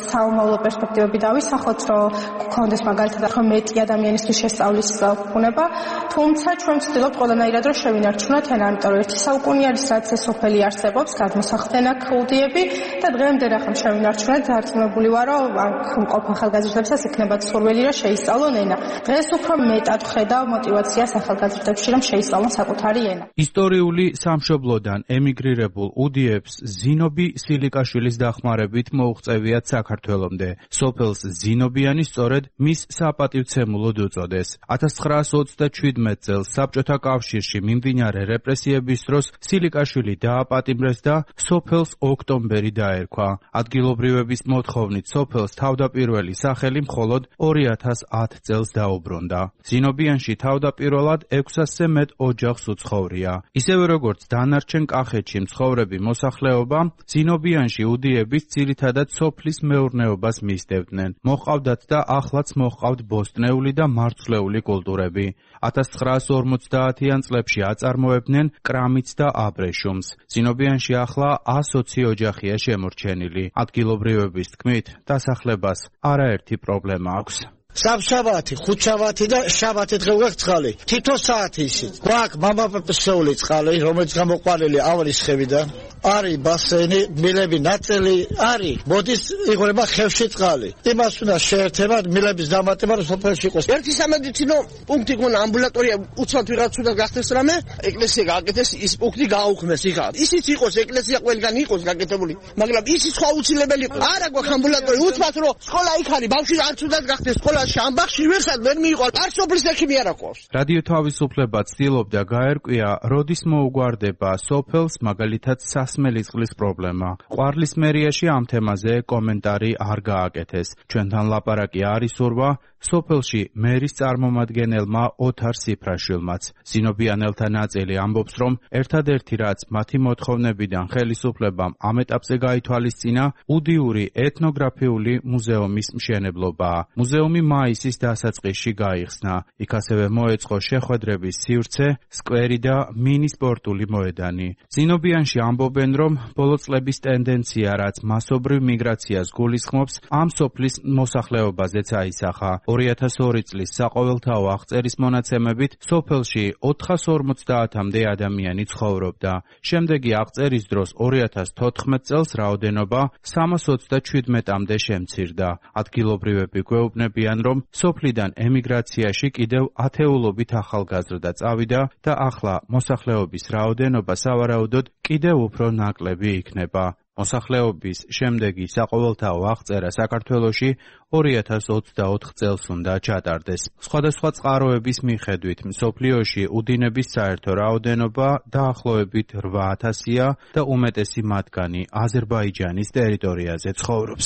საომავლო პერსპექტივები დავისახოთ, რომ გქონდეს მაგალითად რომ მეტი ადამიანისთვის შესწავლის ბუნება, თუმცა ჩვენ ვცდილობთ ყველანაირად რომ შევინარჩუნოთ ენა, იმიტომ რომ ერთი საუკუნე არის რაც ეს სოფელი არსებობს, გადმოსახლდნენ აქ უდიები და დღემდე რახან შევინარჩუნეთ, დარწმუნებული ვარ, რომ აქ მყოფ ახალგაზრდებსაც იქნებათ სურვილი რომ შეისწავლონ ენა. დღეს უფრო მეტად ვხედავ მოტივაციას ახალგაზრდებში რომ შეისწავლონ საკუთარი ენა. ისტორიული სამშობლოდან ემიგრირებულ უდიებს ზინობი სილიკაშვილის დახმარებით მოუღწევიათ საქართველომდე. სოფელს ზინობიანი სწორედ მის საპატივცემულოდ უწოდეს. ათას ცხრაასი ოცდაჩვიდმეტ წელს საბჭოთა კავშირში მიმდინარე რეპრესიების დროს სილიკაშვილი დააპატიმრეს და სოფელს ოქტომბერი დაერქვა. ადგილობრივების მოთხოვნით სოფელს თავდაპირველი სახელი მხოლოდ ორი ათას ათ წელს დაუბრუნდა. ზინობიანში თავდაპირველად ექვსასზე მეტ ოჯახს უცხოვრია. ისევე როგორც დანარჩენ კახეთში მცხოვრები მოსახლეობა, ზინობიანში უდიების ძირითადად სოფლის მეურნეობას მისდევდნენ. მოჰყავდათ და ახლაც მოჰყავთ ბოსტნეული და მარცვლეული კულტურები. ათას ცხრაასი ორმოცდაათიან წლებში აწარმოებდნენ კრამიტს და აბრეშუმს. ზინობიანში ახლა ასოცი ოჯახია შემორჩენილი. ადგილობრივების თქმით, დასახლებას არაერთი პრობლემა აქვს. საბშაბათი, ხუთშაბათი და შაბათი დღე გვაქვს წყალი. თითო საათი ისიც. გვაქვს მამაპეპსეული წყალი, რომელიც გამოყვანილი ავრის ხევიდან. არის ბასენი, მილები ნაწილი არის. მოდის იღვრება ხევში წყალი. იმას უნდა შეერთება მილების დამატება რომ სოფელში იყოს. ერთი სამედიცინო პუნქტი გონა ამბულატორია უცბად ვიღაც უნდა გახდეს რამე, ეკლესია გააკეთეს, ის პუნქტი გააუქმეს იქა. ისიც იყოს ეკლესია ყველგან იყოს გაკეთებული, მაგრამ ისიც სხვა უცილებელი არა გვაქვს ამბულატორია უცბად რომ სკოლა იქ არის, ბავშვი არც უნდა გახდეს სკოლა შამბახში ვერსად ვერ მიიღო. არ სოფლის ექიმი არ აქვს. რადიო თავისუფლება ცდილობდა გაერკვია, როდის მოუგვარდება სოფელს მაგალითად სასმელი წყლის პრობლემა. ყვარლის მერიაში ამ თემაზე კომენტარი არ გააკეთეს. ჩვენთან ლაპარაკი არის ურვა სოფელში მერის წარმომადგენელმა ოთარ სიფრაშვილმაც. ზინობიანელთა ნაწილი ამბობს, რომ ერთადერთი რაც მათი მოთხოვნებიდან ხელისუფლებამ ამ ეტაპზე გაითვალისწინა, უდიური ეთნოგრაფიული მუზეუმის მშენებლობაა. მუზეუმი მაისის დასაწყისში გაიხსნა. იქ ასევე მოეწყო შეხვედრების სივრცე, სკვერი და მინი სპორტული მოედანი. ზინობიანში ამბობენ, რომ ბოლო წლების ტენდენცია, რაც მასობრივ მიგრაციას გულისხმობს, ამ სოფლის მოსახლეობაზეც აისახა. ორი ათას ორი წლის საყოველთაო აღწერის მონაცემებით სოფელში ოთხას ორმოცდაათამდე ადამიანი ცხოვრობდა. შემდეგი აღწერის დროს ორი ათას თოთხმეტ წელს რაოდენობა სამას ოცდაჩვიდმეტამდე შემცირდა. ადგილობრივები გვეუბნებიან, რომ სოფლიდან ემიგრაციაში კიდევ ათეულობით ახალგაზრდა წავიდა და ახლა მოსახლეობის რაოდენობა სავარაუდოდ კიდევ უფრო ნაკლები იქნება. მოსახლეობის შემდეგი საყოველთაო აღწერა საქართველოში ორი ათას ოცდაოთხ წელს უნდა ჩატარდეს. სხვადასხვა წყაროების მიხედვით მსოფლიოში უდინების საერთო რაოდენობა დაახლოებით რვა ათასია და უმეტესი მათგანი აზერბაიჯანის ტერიტორიაზე ცხოვრობს.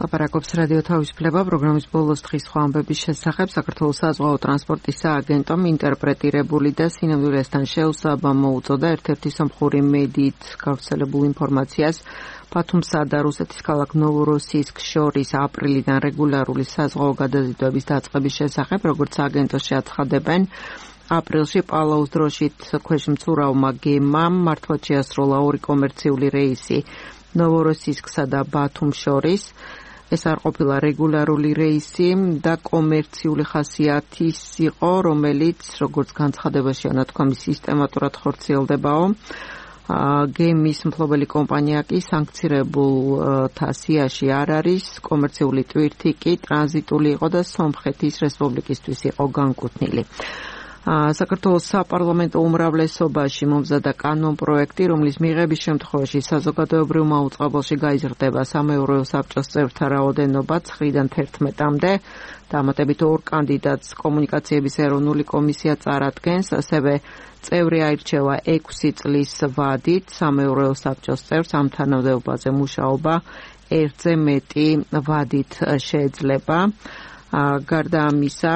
ლაპარაკობს რადიო თავისუფლება პროგრამის ბოლოს დღის სხვა ამბების შესახებ. საქართველოს საზღვაო ტრანსპორტის სააგენტომ ინტერპრეტირებული და სინამდვილესთან შეუსაბა მოუწოდა ერთ-ერთი სომხური მედიით გავრცელებულ ინფორმაციას ბათუმსა და რუსეთის ქალაქ ნოვოროსიისკს შორის აპრილიდან რეგულარული საზღვაო გადაზიდვების დაწყების შესახებ, როგორც სააგენტოს შეაცხადებენ. აპრილში პალაუს დროშით ქვეშმცურავმა გემამ მართლაც შეასრულა ორი კომერციული რეისი ნოვოროსიისკსა და ბათუმს შორის. ეს არ ყოფილა რეგულარული რეისი და კომერციული ხასიათის იყო, რომელიც როგორც განცხადებაში ანათქვამი სისტემატურად ხორციელდებაო. გემის მფლობელი კომპანია კი სანქცირებულთა სიაში არ არის, კომერციული ტვირთი კი ტრანზიტული იყო და სომხეთის რესპუბლიკისთვის იყო განკუთვნილი. საქართველოს საპარლამენტო უმრავლესობაში მომზადა კანონპროექტი, რომლის მიღების შემთხვევაში საზოგადოებრივ მაუწყებელში გაიზრდება სამეურვეო საბჭოს წევრთა რაოდენობა ცხრიდან თერთმეტამდე. დამატებით ორ კანდიდატს კომუნიკაციების ეროვნული კომისია წარადგენს, ასევე წევრი აირჩევა ექვსი წლის ვადით სამეურვეო საბჭოს წევრს, ამ თანამდებობაზე მუშაობა ერთზე მეტი ვადით შეიძლება. გარდა ამისა,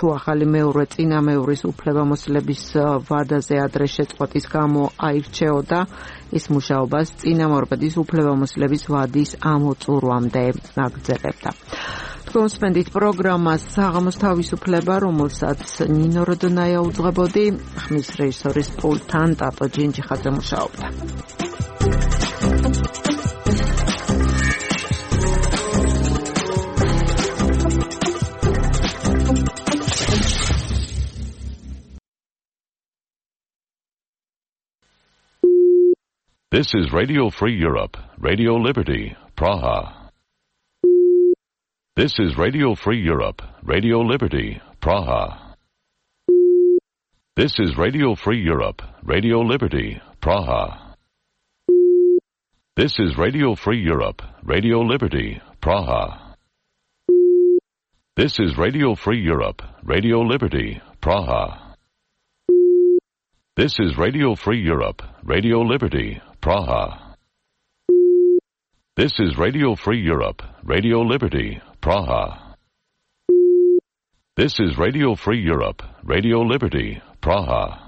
თუ ახალი მეურვე წინამეურის უფლებამოსილების ვადაზე ადრე შეწყვეტის გამო აირჩეოდა, ის მუშაობას წინამორბედის უფლებამოსილების ვადის ამოწურვამდე აგრძელებდა. თქვენ სპენდით პროგრამას საღამოს თავისუფლება, რომელსაც ნინო როდონაია უძღვებოდი, ხმის რეჟისორის პულტთან ტატო ჯინჯიხაძე მუშაობდა. This is Radio Free Europe, Radio Liberty, Praha. This is Radio Free Europe, Radio Liberty, Praha. This is Radio Free Europe, Radio Liberty, Praha. This is Radio Free Europe, Radio Liberty, Praha. This is Radio Free Europe, Radio Liberty, Praha. This is Radio Free Europe, Radio Liberty, Praha. This is Radio Free Europe, Radio Liberty, Praha. This is Radio Free Europe, Radio Liberty, Praha.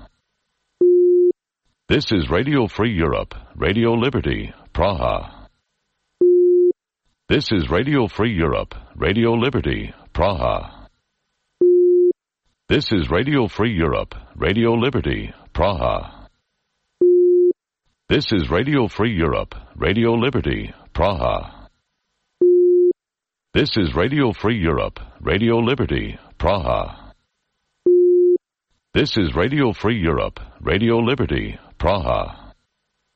This is Radio Free Europe, Radio Liberty, Praha. This is Radio Free Europe, Radio Liberty, Praha. This is Radio Free Europe, Radio Liberty, Praha. This is Radio Free Europe, Radio Liberty, Praha. This is Radio Free Europe, Radio Liberty, Praha. This is Radio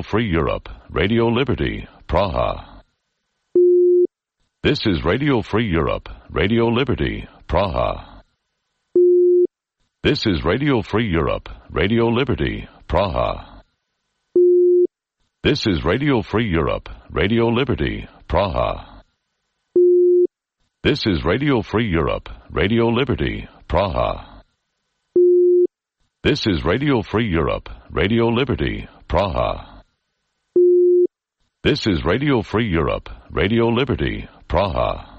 Free Europe, Radio Liberty, Praha. This is Radio Free Europe, Radio Liberty, Praha. This is Radio Free Europe, Radio Liberty, Praha. This is Radio Free Europe, Radio Liberty, Praha. This is Radio Free Europe, Radio Liberty, Praha. This is Radio Free Europe, Radio Liberty, Praha. This is Radio Free Europe, Radio Liberty, Praha.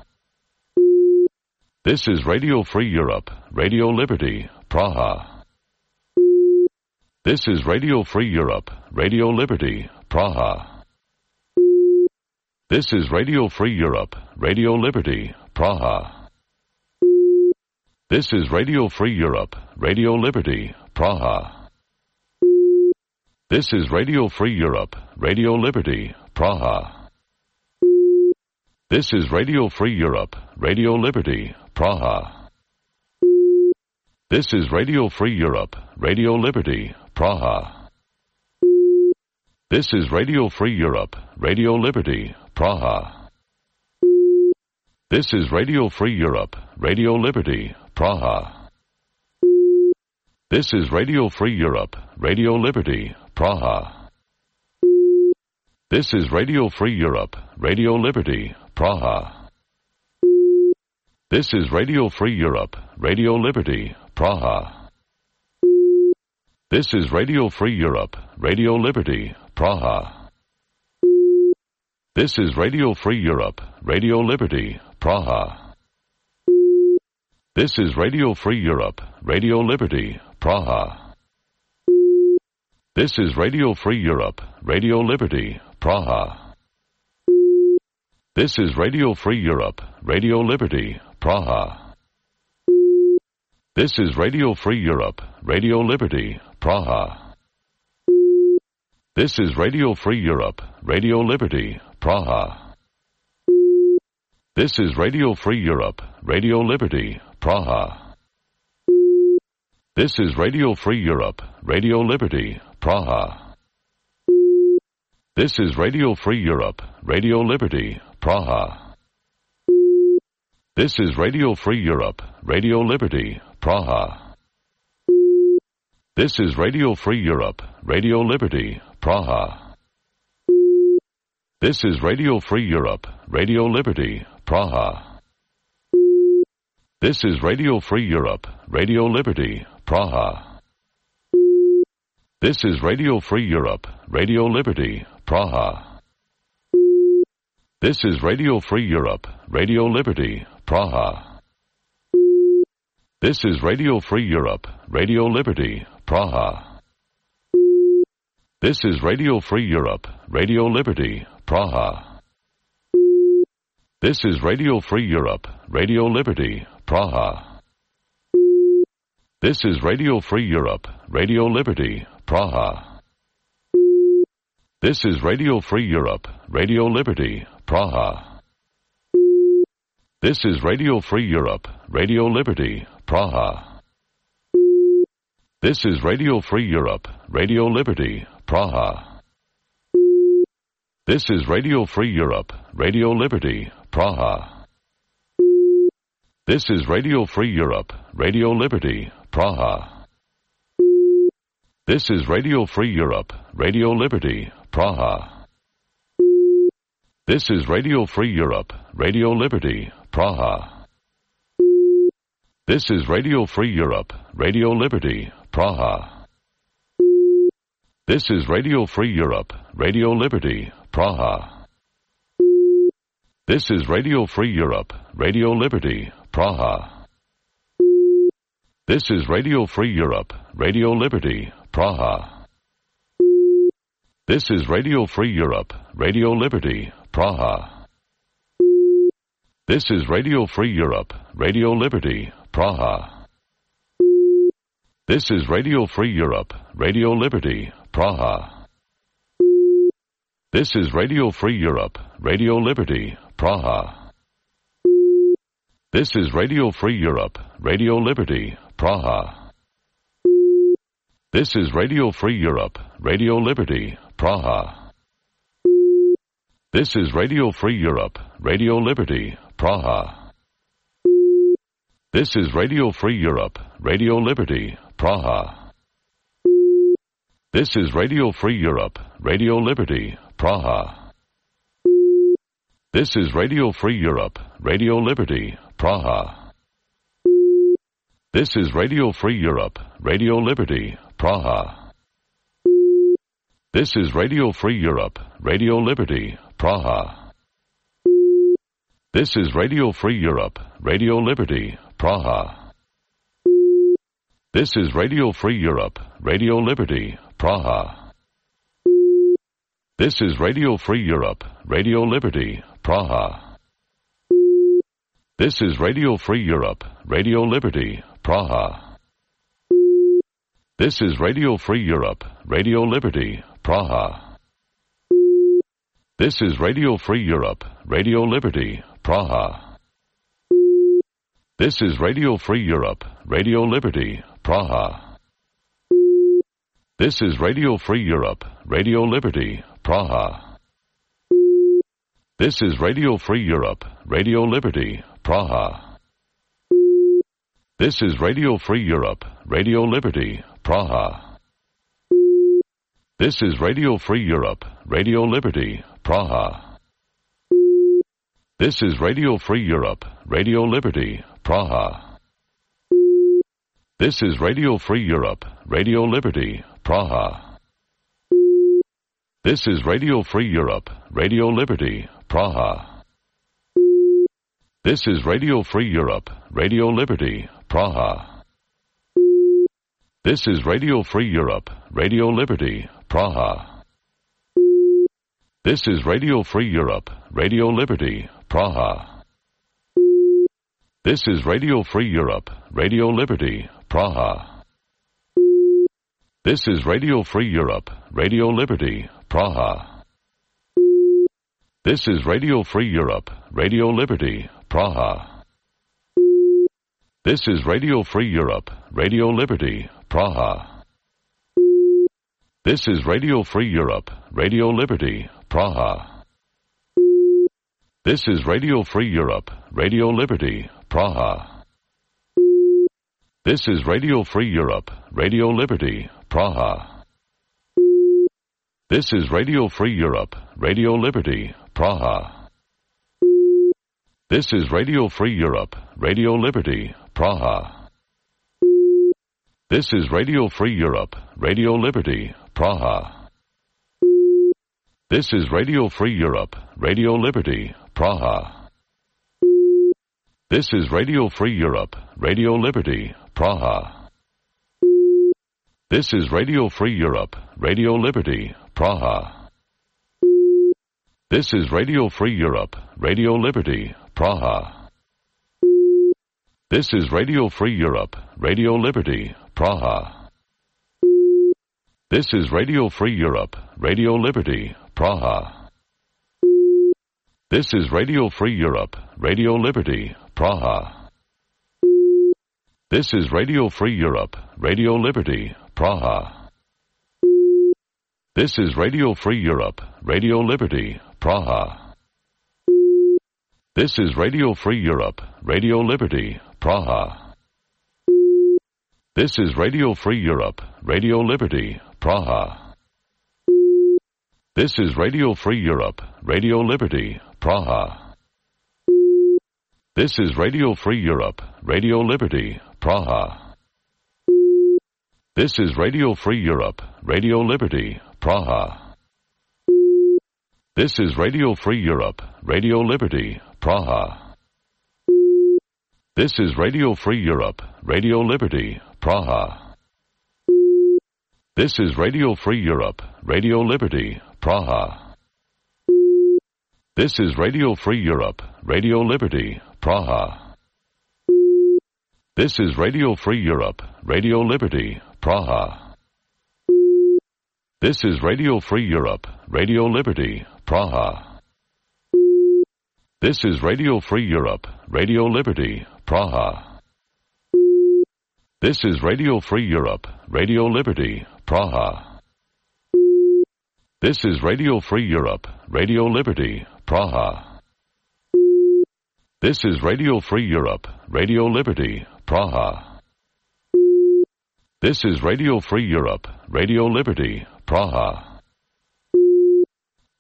This is Radio Free Europe, Radio Liberty, Praha. This is Radio Free Europe, Radio Liberty, Praha. This is Radio Free Europe, Radio Liberty, Praha. This is Radio Free Europe, Radio Liberty, Praha. This is Radio Free Europe, Radio Liberty, Praha. This is Radio Free Europe, Radio Liberty, Praha. This is Radio Free Europe, Radio Liberty, Praha. This is Radio Free Europe, Radio Liberty, Praha. This is Radio Free Europe, Radio Liberty, Praha. This is Radio Free Europe, Radio Liberty, Praha. This is Radio Free Europe, Radio Liberty, Praha. This is Radio Free Europe, Radio Liberty, Praha. This is Radio Free Europe, Radio Liberty, Praha. This is Radio Free Europe, Radio Liberty, Praha. This is Radio Free Europe, Radio Liberty, Praha. This is Radio Free Europe, Radio Liberty, Praha. This is Radio Free Europe, Radio Liberty, Praha. This is Radio Free Europe, Radio Liberty, Praha. This is Radio Free Europe, Radio Liberty, Praha. This is Radio Free Europe, Radio Liberty, Praha. This is Radio Free Europe, Radio Liberty, Praha. This is Radio Free Europe, Radio Liberty, Praha. This is Radio Free Europe, Radio Liberty, Praha. This is Radio Free Europe, Radio Liberty, Praha. This is Radio Free Europe, Radio Liberty, Praha. This is Radio Free Europe, Radio Liberty, Praha. This is Radio Free Europe, Radio Liberty, Praha. This is Radio Free Europe, Radio Liberty, Praha. This is Radio Free Europe, Radio Liberty, Praha. This is Radio Free Europe, Radio Liberty, Praha. This is Radio Free Europe, Radio Liberty, Praha. This is Radio Free Europe, Radio Liberty, Praha. This is Radio Free Europe, Radio Liberty, Praha. This is Radio Free Europe, Radio Liberty, Praha. This is Radio Free Europe, Radio Liberty, Praha. This is Radio Free Europe, Radio Liberty, Praha. This is Radio Free Europe, Radio Liberty, Praha. This is Radio Free Europe, Radio Liberty, Praha. This is Radio Free Europe, Radio Liberty, Praha. This is Radio Free Europe, Radio Liberty, Praha. This is Radio Free Europe, Radio Liberty, Praha. This is Radio Free Europe, Radio Liberty, Praha. This is Radio Free Europe, Radio Liberty, Praha. This is Radio Free Europe, Radio Liberty, Praha. This is Radio Free Europe, Radio Liberty, Praha. This is Radio Free Europe, Radio Liberty, Praha. This is Radio Free Europe, Radio Liberty, Praha. This is Radio Free Europe, Radio Liberty, Praha. This is Radio Free Europe, Radio Liberty, Praha. This is Radio Free Europe, Radio Liberty, Praha. This is Radio Free Europe, Radio Liberty, Praha. This is Radio Free Europe, Radio Liberty, Praha. This is Radio Free Europe, Radio Liberty, Praha. This is Radio Free Europe, Radio Liberty, Praha. This is Radio Free Europe, Radio Liberty, Praha. This is Radio Free Europe, Radio Liberty, Praha. This is Radio Free Europe, Radio Liberty, Praha. This is Radio Free Europe, Radio Liberty, Praha. This is Radio Free Europe, Radio Liberty, Praha. This is Radio Free Europe, Radio Liberty, Praha. This is Radio Free Europe, Radio Liberty, Praha. This is Radio Free Europe, Radio Liberty, Praha. This is Radio Free Europe, Radio Liberty, Praha. This is Radio Free Europe, Radio Liberty, Praha. This is Radio Free Europe, Radio Liberty, Praha. This is Radio Free Europe, Radio Liberty, Praha. This is Radio Free Europe, Radio Liberty, Praha. This is Radio Free Europe, Radio Liberty, Praha. This is Radio Free Europe, Radio Liberty, Praha. This is Radio Free Europe, Radio Liberty, Praha. This is Radio Free Europe, Radio Liberty, Praha. This is Radio Free Europe, Radio Liberty, Praha. This is Radio Free Europe, Radio Liberty, Praha. This is Radio Free Europe, Radio Liberty, Praha. This is Radio Free Europe, Radio Liberty, Praha. This is Radio Free Europe, Radio Liberty, Praha. This is Radio Free Europe, Radio Liberty, Praha. This is Radio Free Europe, Radio Liberty, Praha. This is Radio Free Europe, Radio Liberty, Praha. This is Radio Free Europe, Radio Liberty, Praha. This is Radio Free Europe, Radio Liberty, Praha. This is Radio Free Europe, Radio Liberty, Praha. This is Radio Free Europe, Radio Liberty, Praha. This is Radio Free Europe, Radio Liberty, Praha. This is Radio Free Europe, Radio Liberty, Praha. This is Radio Free Europe, Radio Liberty, Praha. This is Radio Free Europe, Radio Liberty, Praha. This is Radio Free Europe, Radio Liberty, Praha. This is Radio Free Europe, Radio Liberty, Praha. This is Radio Free Europe, Radio Liberty, Praha. This is Radio Free Europe, Radio Liberty, Praha. This is Radio Free Europe, Radio Liberty, Praha. This is Radio Free Europe, Radio Liberty, Praha. This is Radio Free Europe, Radio Liberty, Praha. This is Radio Free Europe, Radio Liberty, Praha. This is Radio Free Europe, Radio Liberty, Praha. This is Radio Free Europe, Radio Liberty, Praha. This is Radio Free Europe, Radio Liberty, Praha. This is Radio Free Europe, Radio Liberty, Praha. This is Radio Free Europe, Radio Liberty, Praha. This is Radio Free Europe, Radio Liberty, Praha. This is Radio Free Europe, Radio Liberty, Praha. This is Radio Free Europe, Radio Liberty, Praha. This is Radio Free Europe, Radio Liberty, Praha. This is Radio Free Europe, Radio Liberty, Praha. This is Radio Free Europe, Radio Liberty, Praha. This is Radio Free Europe, Radio Liberty, Praha. This is Radio Free Europe, Radio Liberty, Praha. This is Radio Free Europe, Radio Liberty, Praha.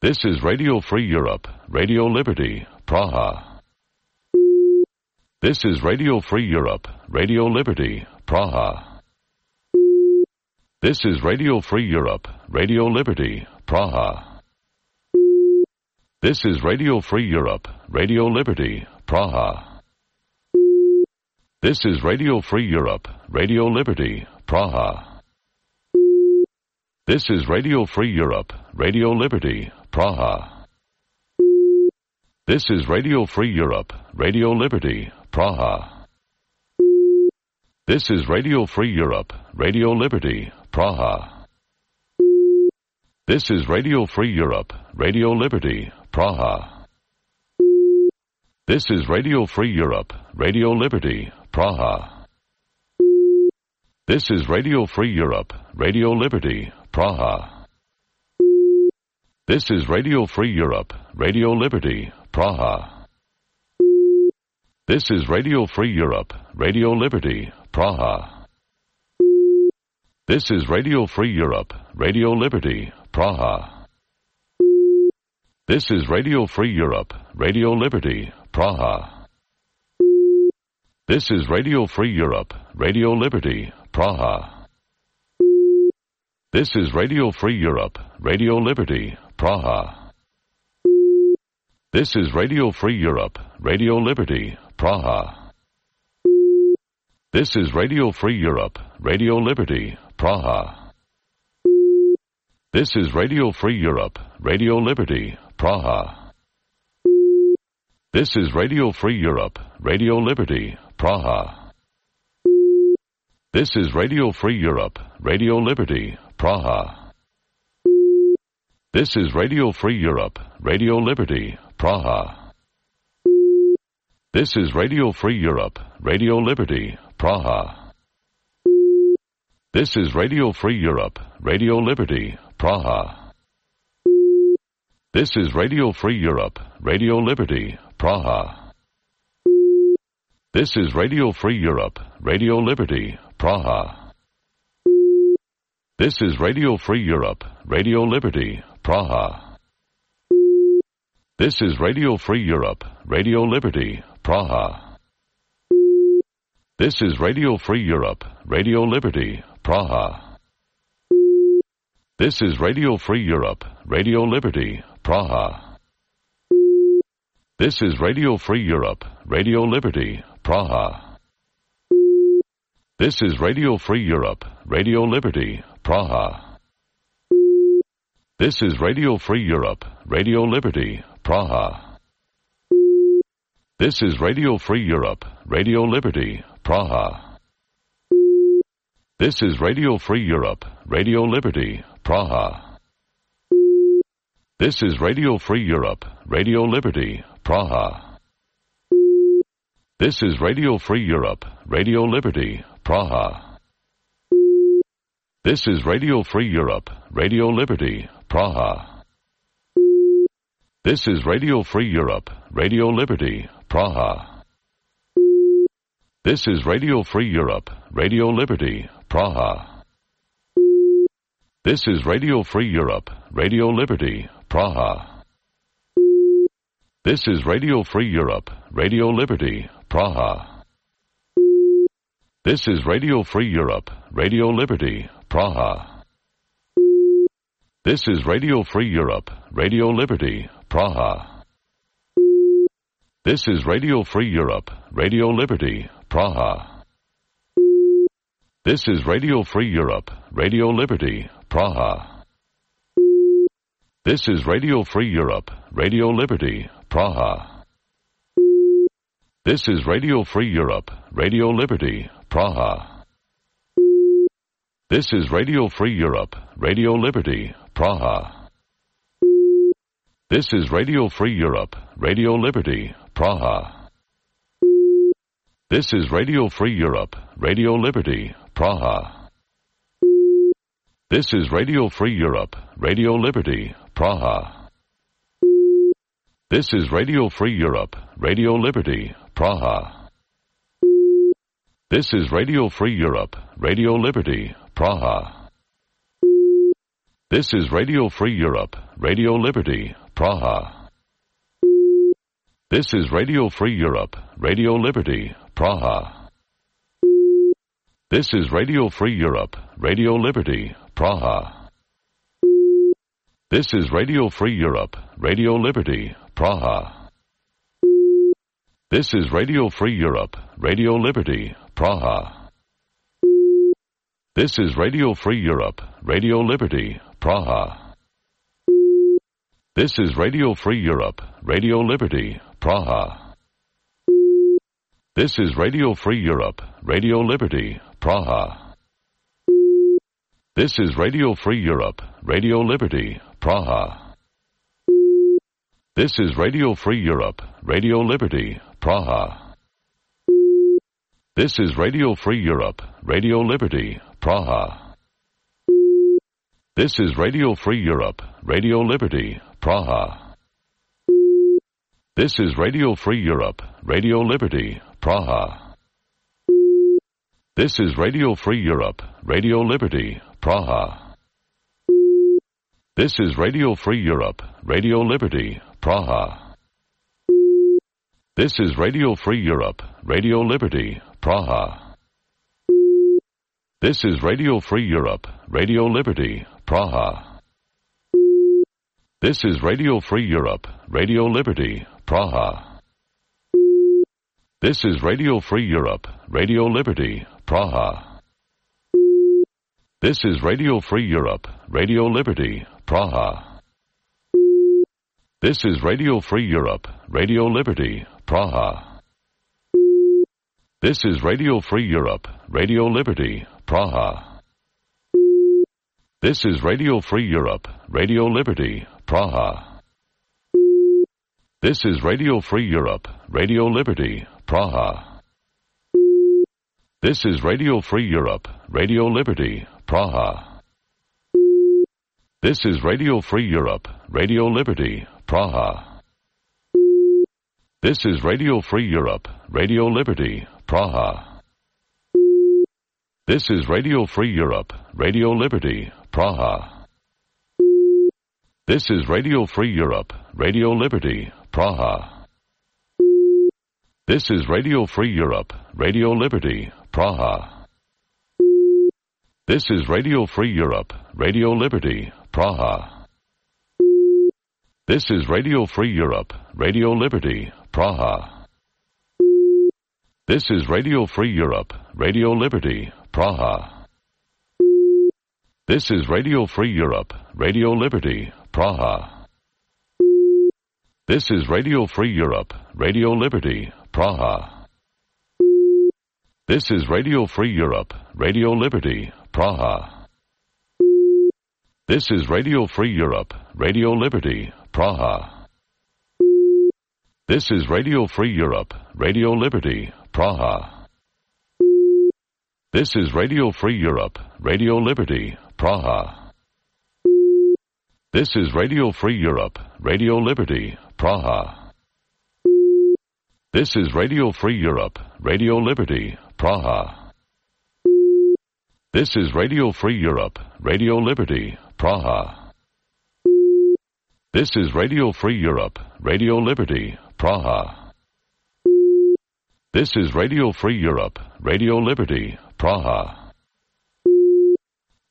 This is Radio Free Europe, Radio Liberty, Praha. This is Radio Free Europe, Radio Liberty, Praha. This is Radio Free Europe, Radio Liberty, Praha. This is Radio Free Europe, Radio Liberty, Praha. This is Radio Free Europe, Radio Liberty, Praha. This is Radio Free Europe, Radio Liberty, Praha. This is Radio Free Europe, Radio Liberty, Praha. This is Radio Free Europe, Radio Liberty, Praha. This is Radio Free Europe, Radio Liberty, Praha. This is Radio Free Europe, Radio Liberty, Praha. This is Radio Free Europe, Radio Liberty, Praha. This is Radio Free Europe, Radio Liberty, Praha. This is Radio Free Europe, Radio Liberty, Praha. This is Radio Free Europe, Radio Liberty, Praha. This is Radio Free Europe, Radio Liberty, Praha. This is Radio Free Europe, Radio Liberty, Praha. This is Radio Free Europe, Radio Liberty, Praha. This is Radio Free Europe, Radio Liberty, Praha. This is Radio Free Europe, Radio Liberty, Praha. This is Radio Free Europe, Radio Liberty, Praha. This is Radio Free Europe, Radio Liberty, Praha. This is Radio Free Europe, Radio Liberty, Praha. This is Radio Free Europe, Radio Liberty, Praha. This is Radio Free Europe, Radio Liberty, Praha. This is Radio Free Europe, Radio Liberty, Praha. This is Radio Free Europe, Radio Liberty, Praha. This is Radio Free Europe, Radio Liberty, Praha. This is Radio Free Europe, Radio Liberty, Praha. This is Radio Free Europe, Radio Liberty, Praha. This is Radio Free Europe, Radio Liberty, Praha. This is Radio Free Europe, Radio Liberty, Praha. This is Radio Free Europe, Radio Liberty, Praha. This is Radio Free Europe, Radio Liberty, Praha. This is Radio Free Europe, Radio Liberty, Praha. This is Radio Free Europe, Radio Liberty, Praha. This is Radio Free Europe, Radio Liberty, Praha. This is Radio Free Europe, Radio Liberty, Praha. This is Radio Free Europe, Radio Liberty, Praha. This is Radio Free Europe, Radio Liberty, Praha. This is Radio Free Europe, Radio Liberty, Praha. This is Radio Free Europe, Radio Liberty, Praha. This is Radio Free Europe, Radio Liberty, Praha. This is Radio Free Europe, Radio Liberty, Praha. This is Radio Free Europe, Radio Liberty, Praha. This is Radio Free Europe, Radio Liberty, Praha. This is Radio Free Europe, Radio Liberty, Praha. This is Radio Free Europe, Radio Liberty, Praha. This is Radio Free Europe, Radio Liberty, Praha. This is Radio Free Europe, Radio Liberty, Praha. This is Radio Free Europe, Radio Liberty, Praha. This is Radio Free Europe, Radio Liberty, Praha. This is Radio Free Europe, Radio Liberty, Praha. This is Radio Free Europe, Radio Liberty, Praha. This is Radio Free Europe, Radio Liberty, Praha. This is Radio Free Europe, Radio Liberty, Praha. This is Radio Free Europe, Radio Liberty, Praha. This is Radio Free Europe, Radio Liberty, Praha. This is Radio Free Europe, Radio Liberty, Praha. This is Radio Free Europe, Radio Liberty, Praha. This is Radio Free Europe, Radio Liberty, Praha. This is Radio Free Europe, Radio Liberty, Praha. This is Radio Free Europe, Radio Liberty, Praha. This is Radio Free Europe, Radio Liberty, Praha. This is Radio Free Europe, Radio Liberty, Praha. This is Radio Free Europe, Radio Liberty, Praha. This is Radio Free Europe, Radio Liberty, Praha. This is Radio Free Europe, Radio Liberty, Praha. This is Radio Free Europe, Radio Liberty, Praha. This is Radio Free Europe, Radio Liberty, Praha. This is Radio Free Europe, Radio Liberty, Praha. This is Radio Free Europe, Radio Liberty, Praha. This is Radio Free Europe, Radio Liberty, Praha. This is Radio Free Europe, Radio Liberty, Praha. This is Radio Free Europe, Radio Liberty, Praha. This is Radio Free Europe, Radio Liberty, Praha. This is Radio Free Europe, Radio Liberty, Praha. This is Radio Free Europe, Radio Liberty, Praha. This is Radio Free Europe, Radio Liberty, Praha. This is Radio Free Europe, Radio Liberty, Praha. This is Radio Free Europe, Radio Liberty, Praha. This is Radio Free Europe, Radio Liberty, Praha. This is Radio Free Europe, Radio Liberty, Praha. This is Radio Free Europe, Radio Liberty, Praha. This is Radio Free Europe, Radio Liberty, Praha. This is Radio Free Europe, Radio Liberty, Praha. This is Radio Free Europe, Radio Liberty, Praha. This is Radio Free Europe, Radio Liberty, Praha. This is Radio Free Europe, Radio Liberty, Praha. This is Radio Free Europe, Radio Liberty, Praha. This is Radio Free Europe, Radio Liberty, Praha. This is Radio Free Europe, Radio Liberty, Praha. This is Radio Free Europe, Radio Liberty, Praha. This is Radio Free Europe, Radio Liberty, Praha. This is Radio Free Europe, Radio Liberty, Praha. This is Radio Free Europe, Radio Liberty, Praha. This is Radio Free Europe, Radio Liberty, Praha. This is Radio Free Europe, Radio Liberty, Praha. This is Radio Free Europe, Radio Liberty, Praha.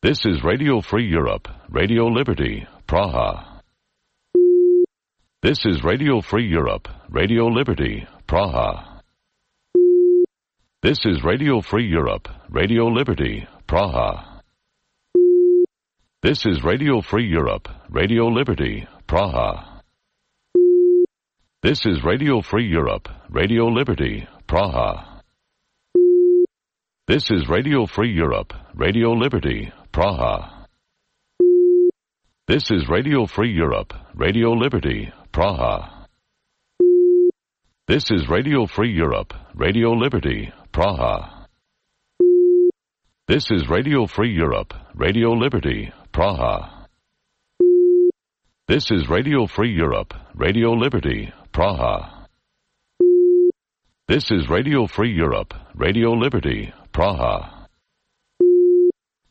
This is Radio Free Europe, Radio Liberty, Praha. This is Radio Free Europe, Radio Liberty, Praha. This is Radio Free Europe, Radio Liberty, Praha. This is Radio Free Europe, Radio Liberty, Praha. This is Radio Free Europe, Radio Liberty, Praha. This is Radio Free Europe, Radio Liberty, Praha. This is Radio Free Europe, Radio Liberty, Praha. This is Radio Free Europe, Radio Liberty, Praha. This is Radio Free Europe, Radio Liberty, Praha. This is Radio Free Europe, Radio Liberty, Praha. This is Radio Free Europe, Radio Liberty, Praha.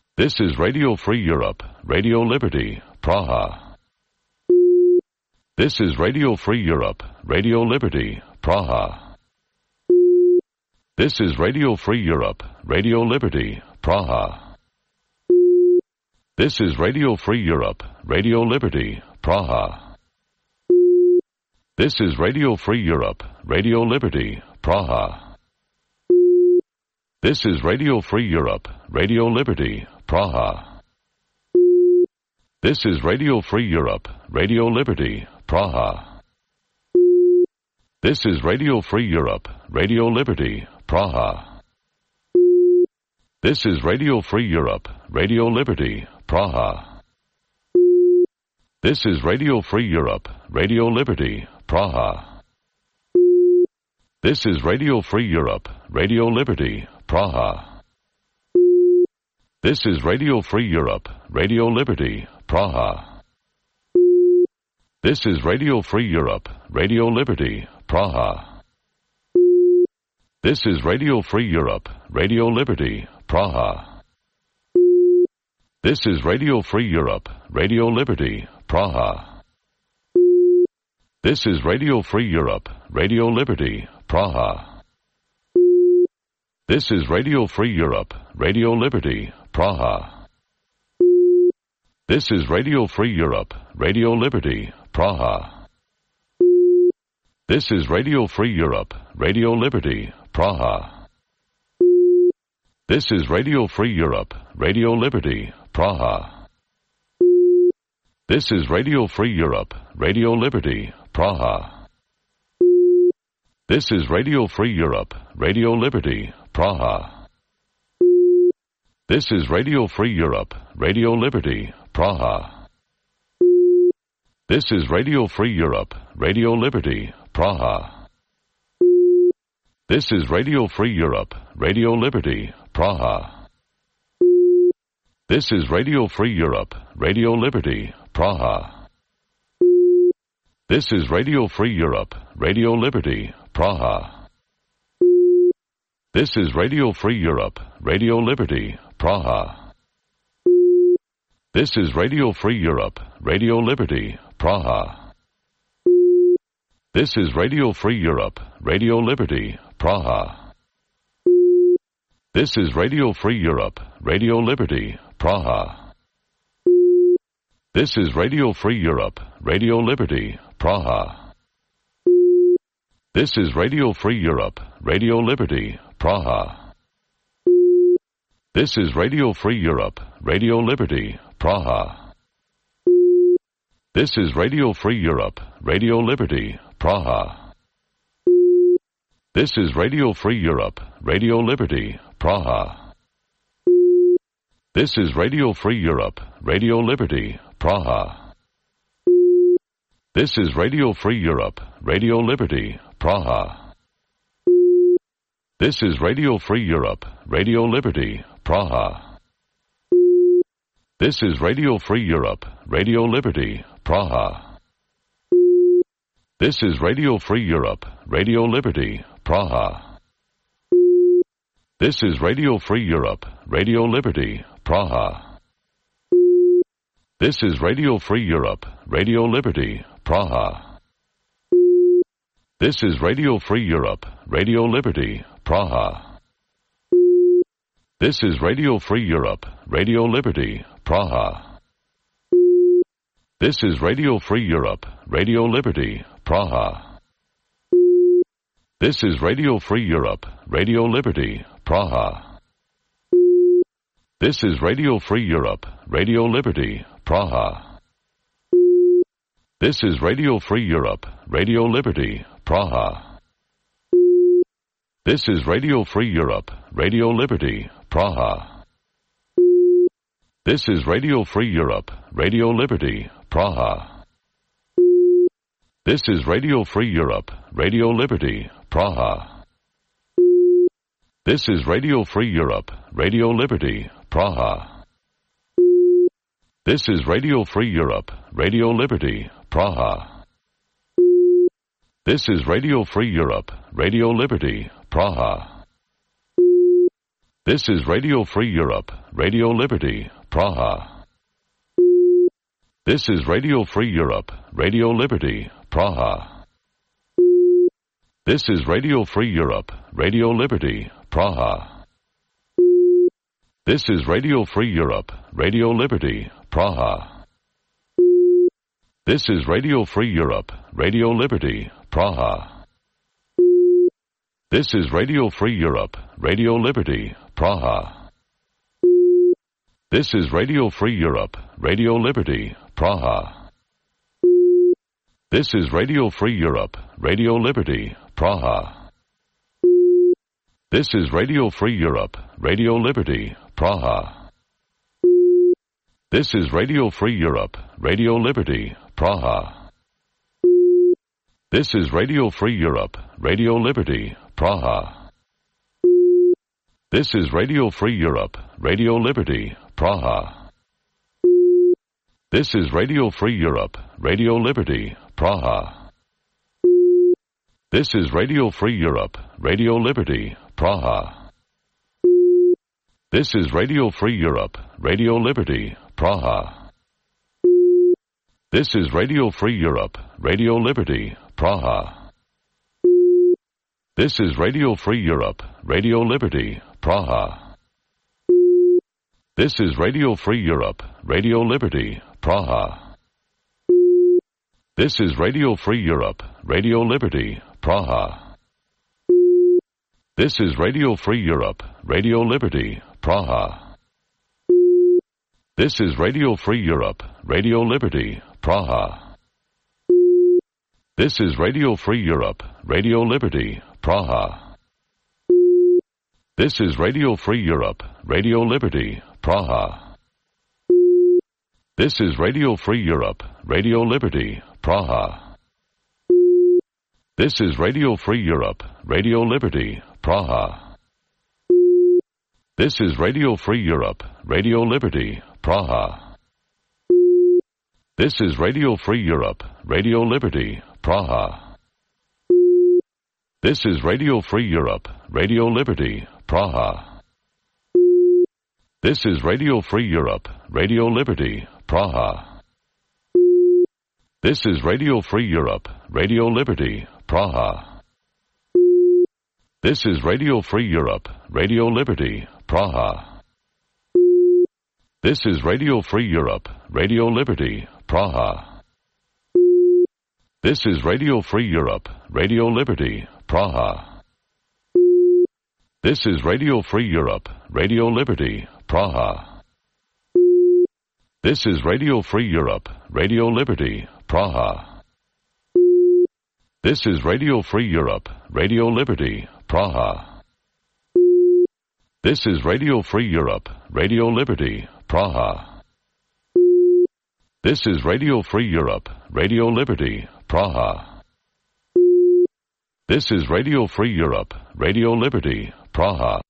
This is Radio Free Europe, Radio Liberty, Praha. This is Radio Free Europe, Radio Liberty, Praha. This is Radio Free Europe, Radio Liberty, Praha. This is Radio Free Europe, Radio Liberty, Praha. This is Radio Free Europe, Radio Liberty, Praha. This is Radio Free Europe, Radio Liberty, Praha. This is Radio Free Europe, Radio Liberty, Praha. This is Radio Free Europe, Radio Liberty, Praha. This is Radio Free Europe, Radio Liberty, Praha. This is Radio Free Europe, Radio Liberty, Praha. This is Radio Free Europe, Radio Liberty, Praha. This is Radio Free Europe, Radio Liberty, Praha. This is Radio Free Europe, Radio Liberty, Praha. This is Radio Free Europe, Radio Liberty, Praha. This is Radio Free Europe, Radio Liberty, Praha. This is Radio Free Europe, Radio Liberty, Praha. This is Radio Free Europe, Radio Liberty, Praha. This is Radio Free Europe, Radio Liberty, Praha. This is Radio Free Europe, Radio Liberty, Praha. This is Radio Free Europe, Radio Liberty, Praha. This is Radio Free Europe, Radio Liberty, Praha. This is Radio Free Europe, Radio Liberty, Praha. This is Radio Free Europe, Radio Liberty, Praha. This is Radio Free Europe, Radio Liberty, Praha. This is Radio Free Europe, Radio Liberty, Praha. This is Radio Free Europe, Radio Liberty, Praha. This is Radio Free Europe, Radio Liberty, Praha. This is Radio Free Europe, Radio Liberty, Praha. This is Radio Free Europe, Radio Liberty, Praha. This is Radio Free Europe, Radio Liberty, Praha. This is Radio Free Europe, Radio Liberty, Praha. This is Radio Free Europe, Radio Liberty, Praha. This is Radio Free Europe, Radio Liberty, Praha. This is Radio Free Europe, Radio Liberty, Praha. This is Radio Free Europe, Radio Liberty, Praha. This is Radio Free Europe, Radio Liberty, Praha. This is Radio Free Europe, Radio Liberty, Praha. This is Radio Free Europe, Radio Liberty, Praha. This is Radio Free Europe, Radio Liberty, Praha. This is Radio Free Europe, Radio Liberty, Praha. This is Radio Free Europe, Radio Liberty, Praha. This is Radio Free Europe, Radio Liberty, Praha. This is Radio Free Europe, Radio Liberty, Praha. This is Radio Free Europe, Radio Liberty, Praha. This is Radio Free Europe, Radio Liberty, Praha. This is Radio Free Europe, Radio Liberty, Praha. This is Radio Free Europe, Radio Liberty, Praha. This is Radio Free Europe, Radio Liberty, Praha. This is Radio Free Europe, Radio Liberty, Praha. This is Radio Free Europe, Radio Liberty, Praha. This is Radio Free Europe, Radio Liberty, Praha. This is Radio Free Europe, Radio Liberty, Praha. This is Radio Free Europe, Radio Liberty, Praha. This is Radio Free Europe, Radio Liberty, Praha. This is Radio Free Europe, Radio Liberty, Praha. This is Radio Free Europe, Radio Liberty, Praha. This is Radio Free Europe, Radio Liberty, Praha. This is Radio Free Europe, Radio Liberty, Praha. This is Radio Free Europe, Radio Liberty, Praha. This is Radio Free Europe, Radio Liberty, Praha. This is Radio Free Europe, Radio Liberty, Praha. This is Radio Free Europe, Radio Liberty, Praha. This is Radio Free Europe, Radio Liberty, Praha. This is Radio Free Europe, Radio Liberty, Praha. This is Radio Free Europe, Radio Liberty, Praha. This is Radio Free Europe, Radio Liberty, Praha. This is Radio Free Europe, Radio Liberty, Praha. This is Radio Free Europe, Radio Liberty, Praha. This is Radio Free Europe, Radio Liberty, Praha. This is Radio Free Europe, Radio Liberty, Praha. This is Radio Free Europe, Radio Liberty, Praha. This is Radio Free Europe, Radio Liberty, Praha. This is Radio Free Europe, Radio Liberty, Praha. This is Radio Free Europe, Radio Liberty, Praha. This is Radio Free Europe, Radio Liberty, Praha. This is Radio Free Europe, Radio Liberty, Praha. This is Radio Free Europe, Radio Liberty, Praha. This is Radio Free Europe, Radio Liberty, Praha. This is Radio Free Europe, Radio Liberty, Praha. This is Radio Free Europe, Radio Liberty, Praha. This is Radio Free Europe, Radio Liberty, Praha. This is Radio Free Europe, Radio Liberty, Praha. This is Radio Free Europe, Radio Liberty, Praha. This is Radio Free Europe, Radio Liberty, Praha. This is Radio Free Europe, Radio Liberty, Praha. This is Radio Free Europe, Radio Liberty, Praha. This is Radio Free Europe, Radio Liberty, Praha. This is Radio Free Europe, Radio Liberty, Praha. This is Radio Free Europe, Radio Liberty, Praha. This is Radio Free Europe, Radio Liberty, Praha. This is Radio Free Europe, Radio Liberty, Praha. This is Radio Free Europe, Radio Liberty, Praha. This is Radio Free Europe, Radio Liberty, Praha. This is Radio Free Europe, Radio Liberty, Praha.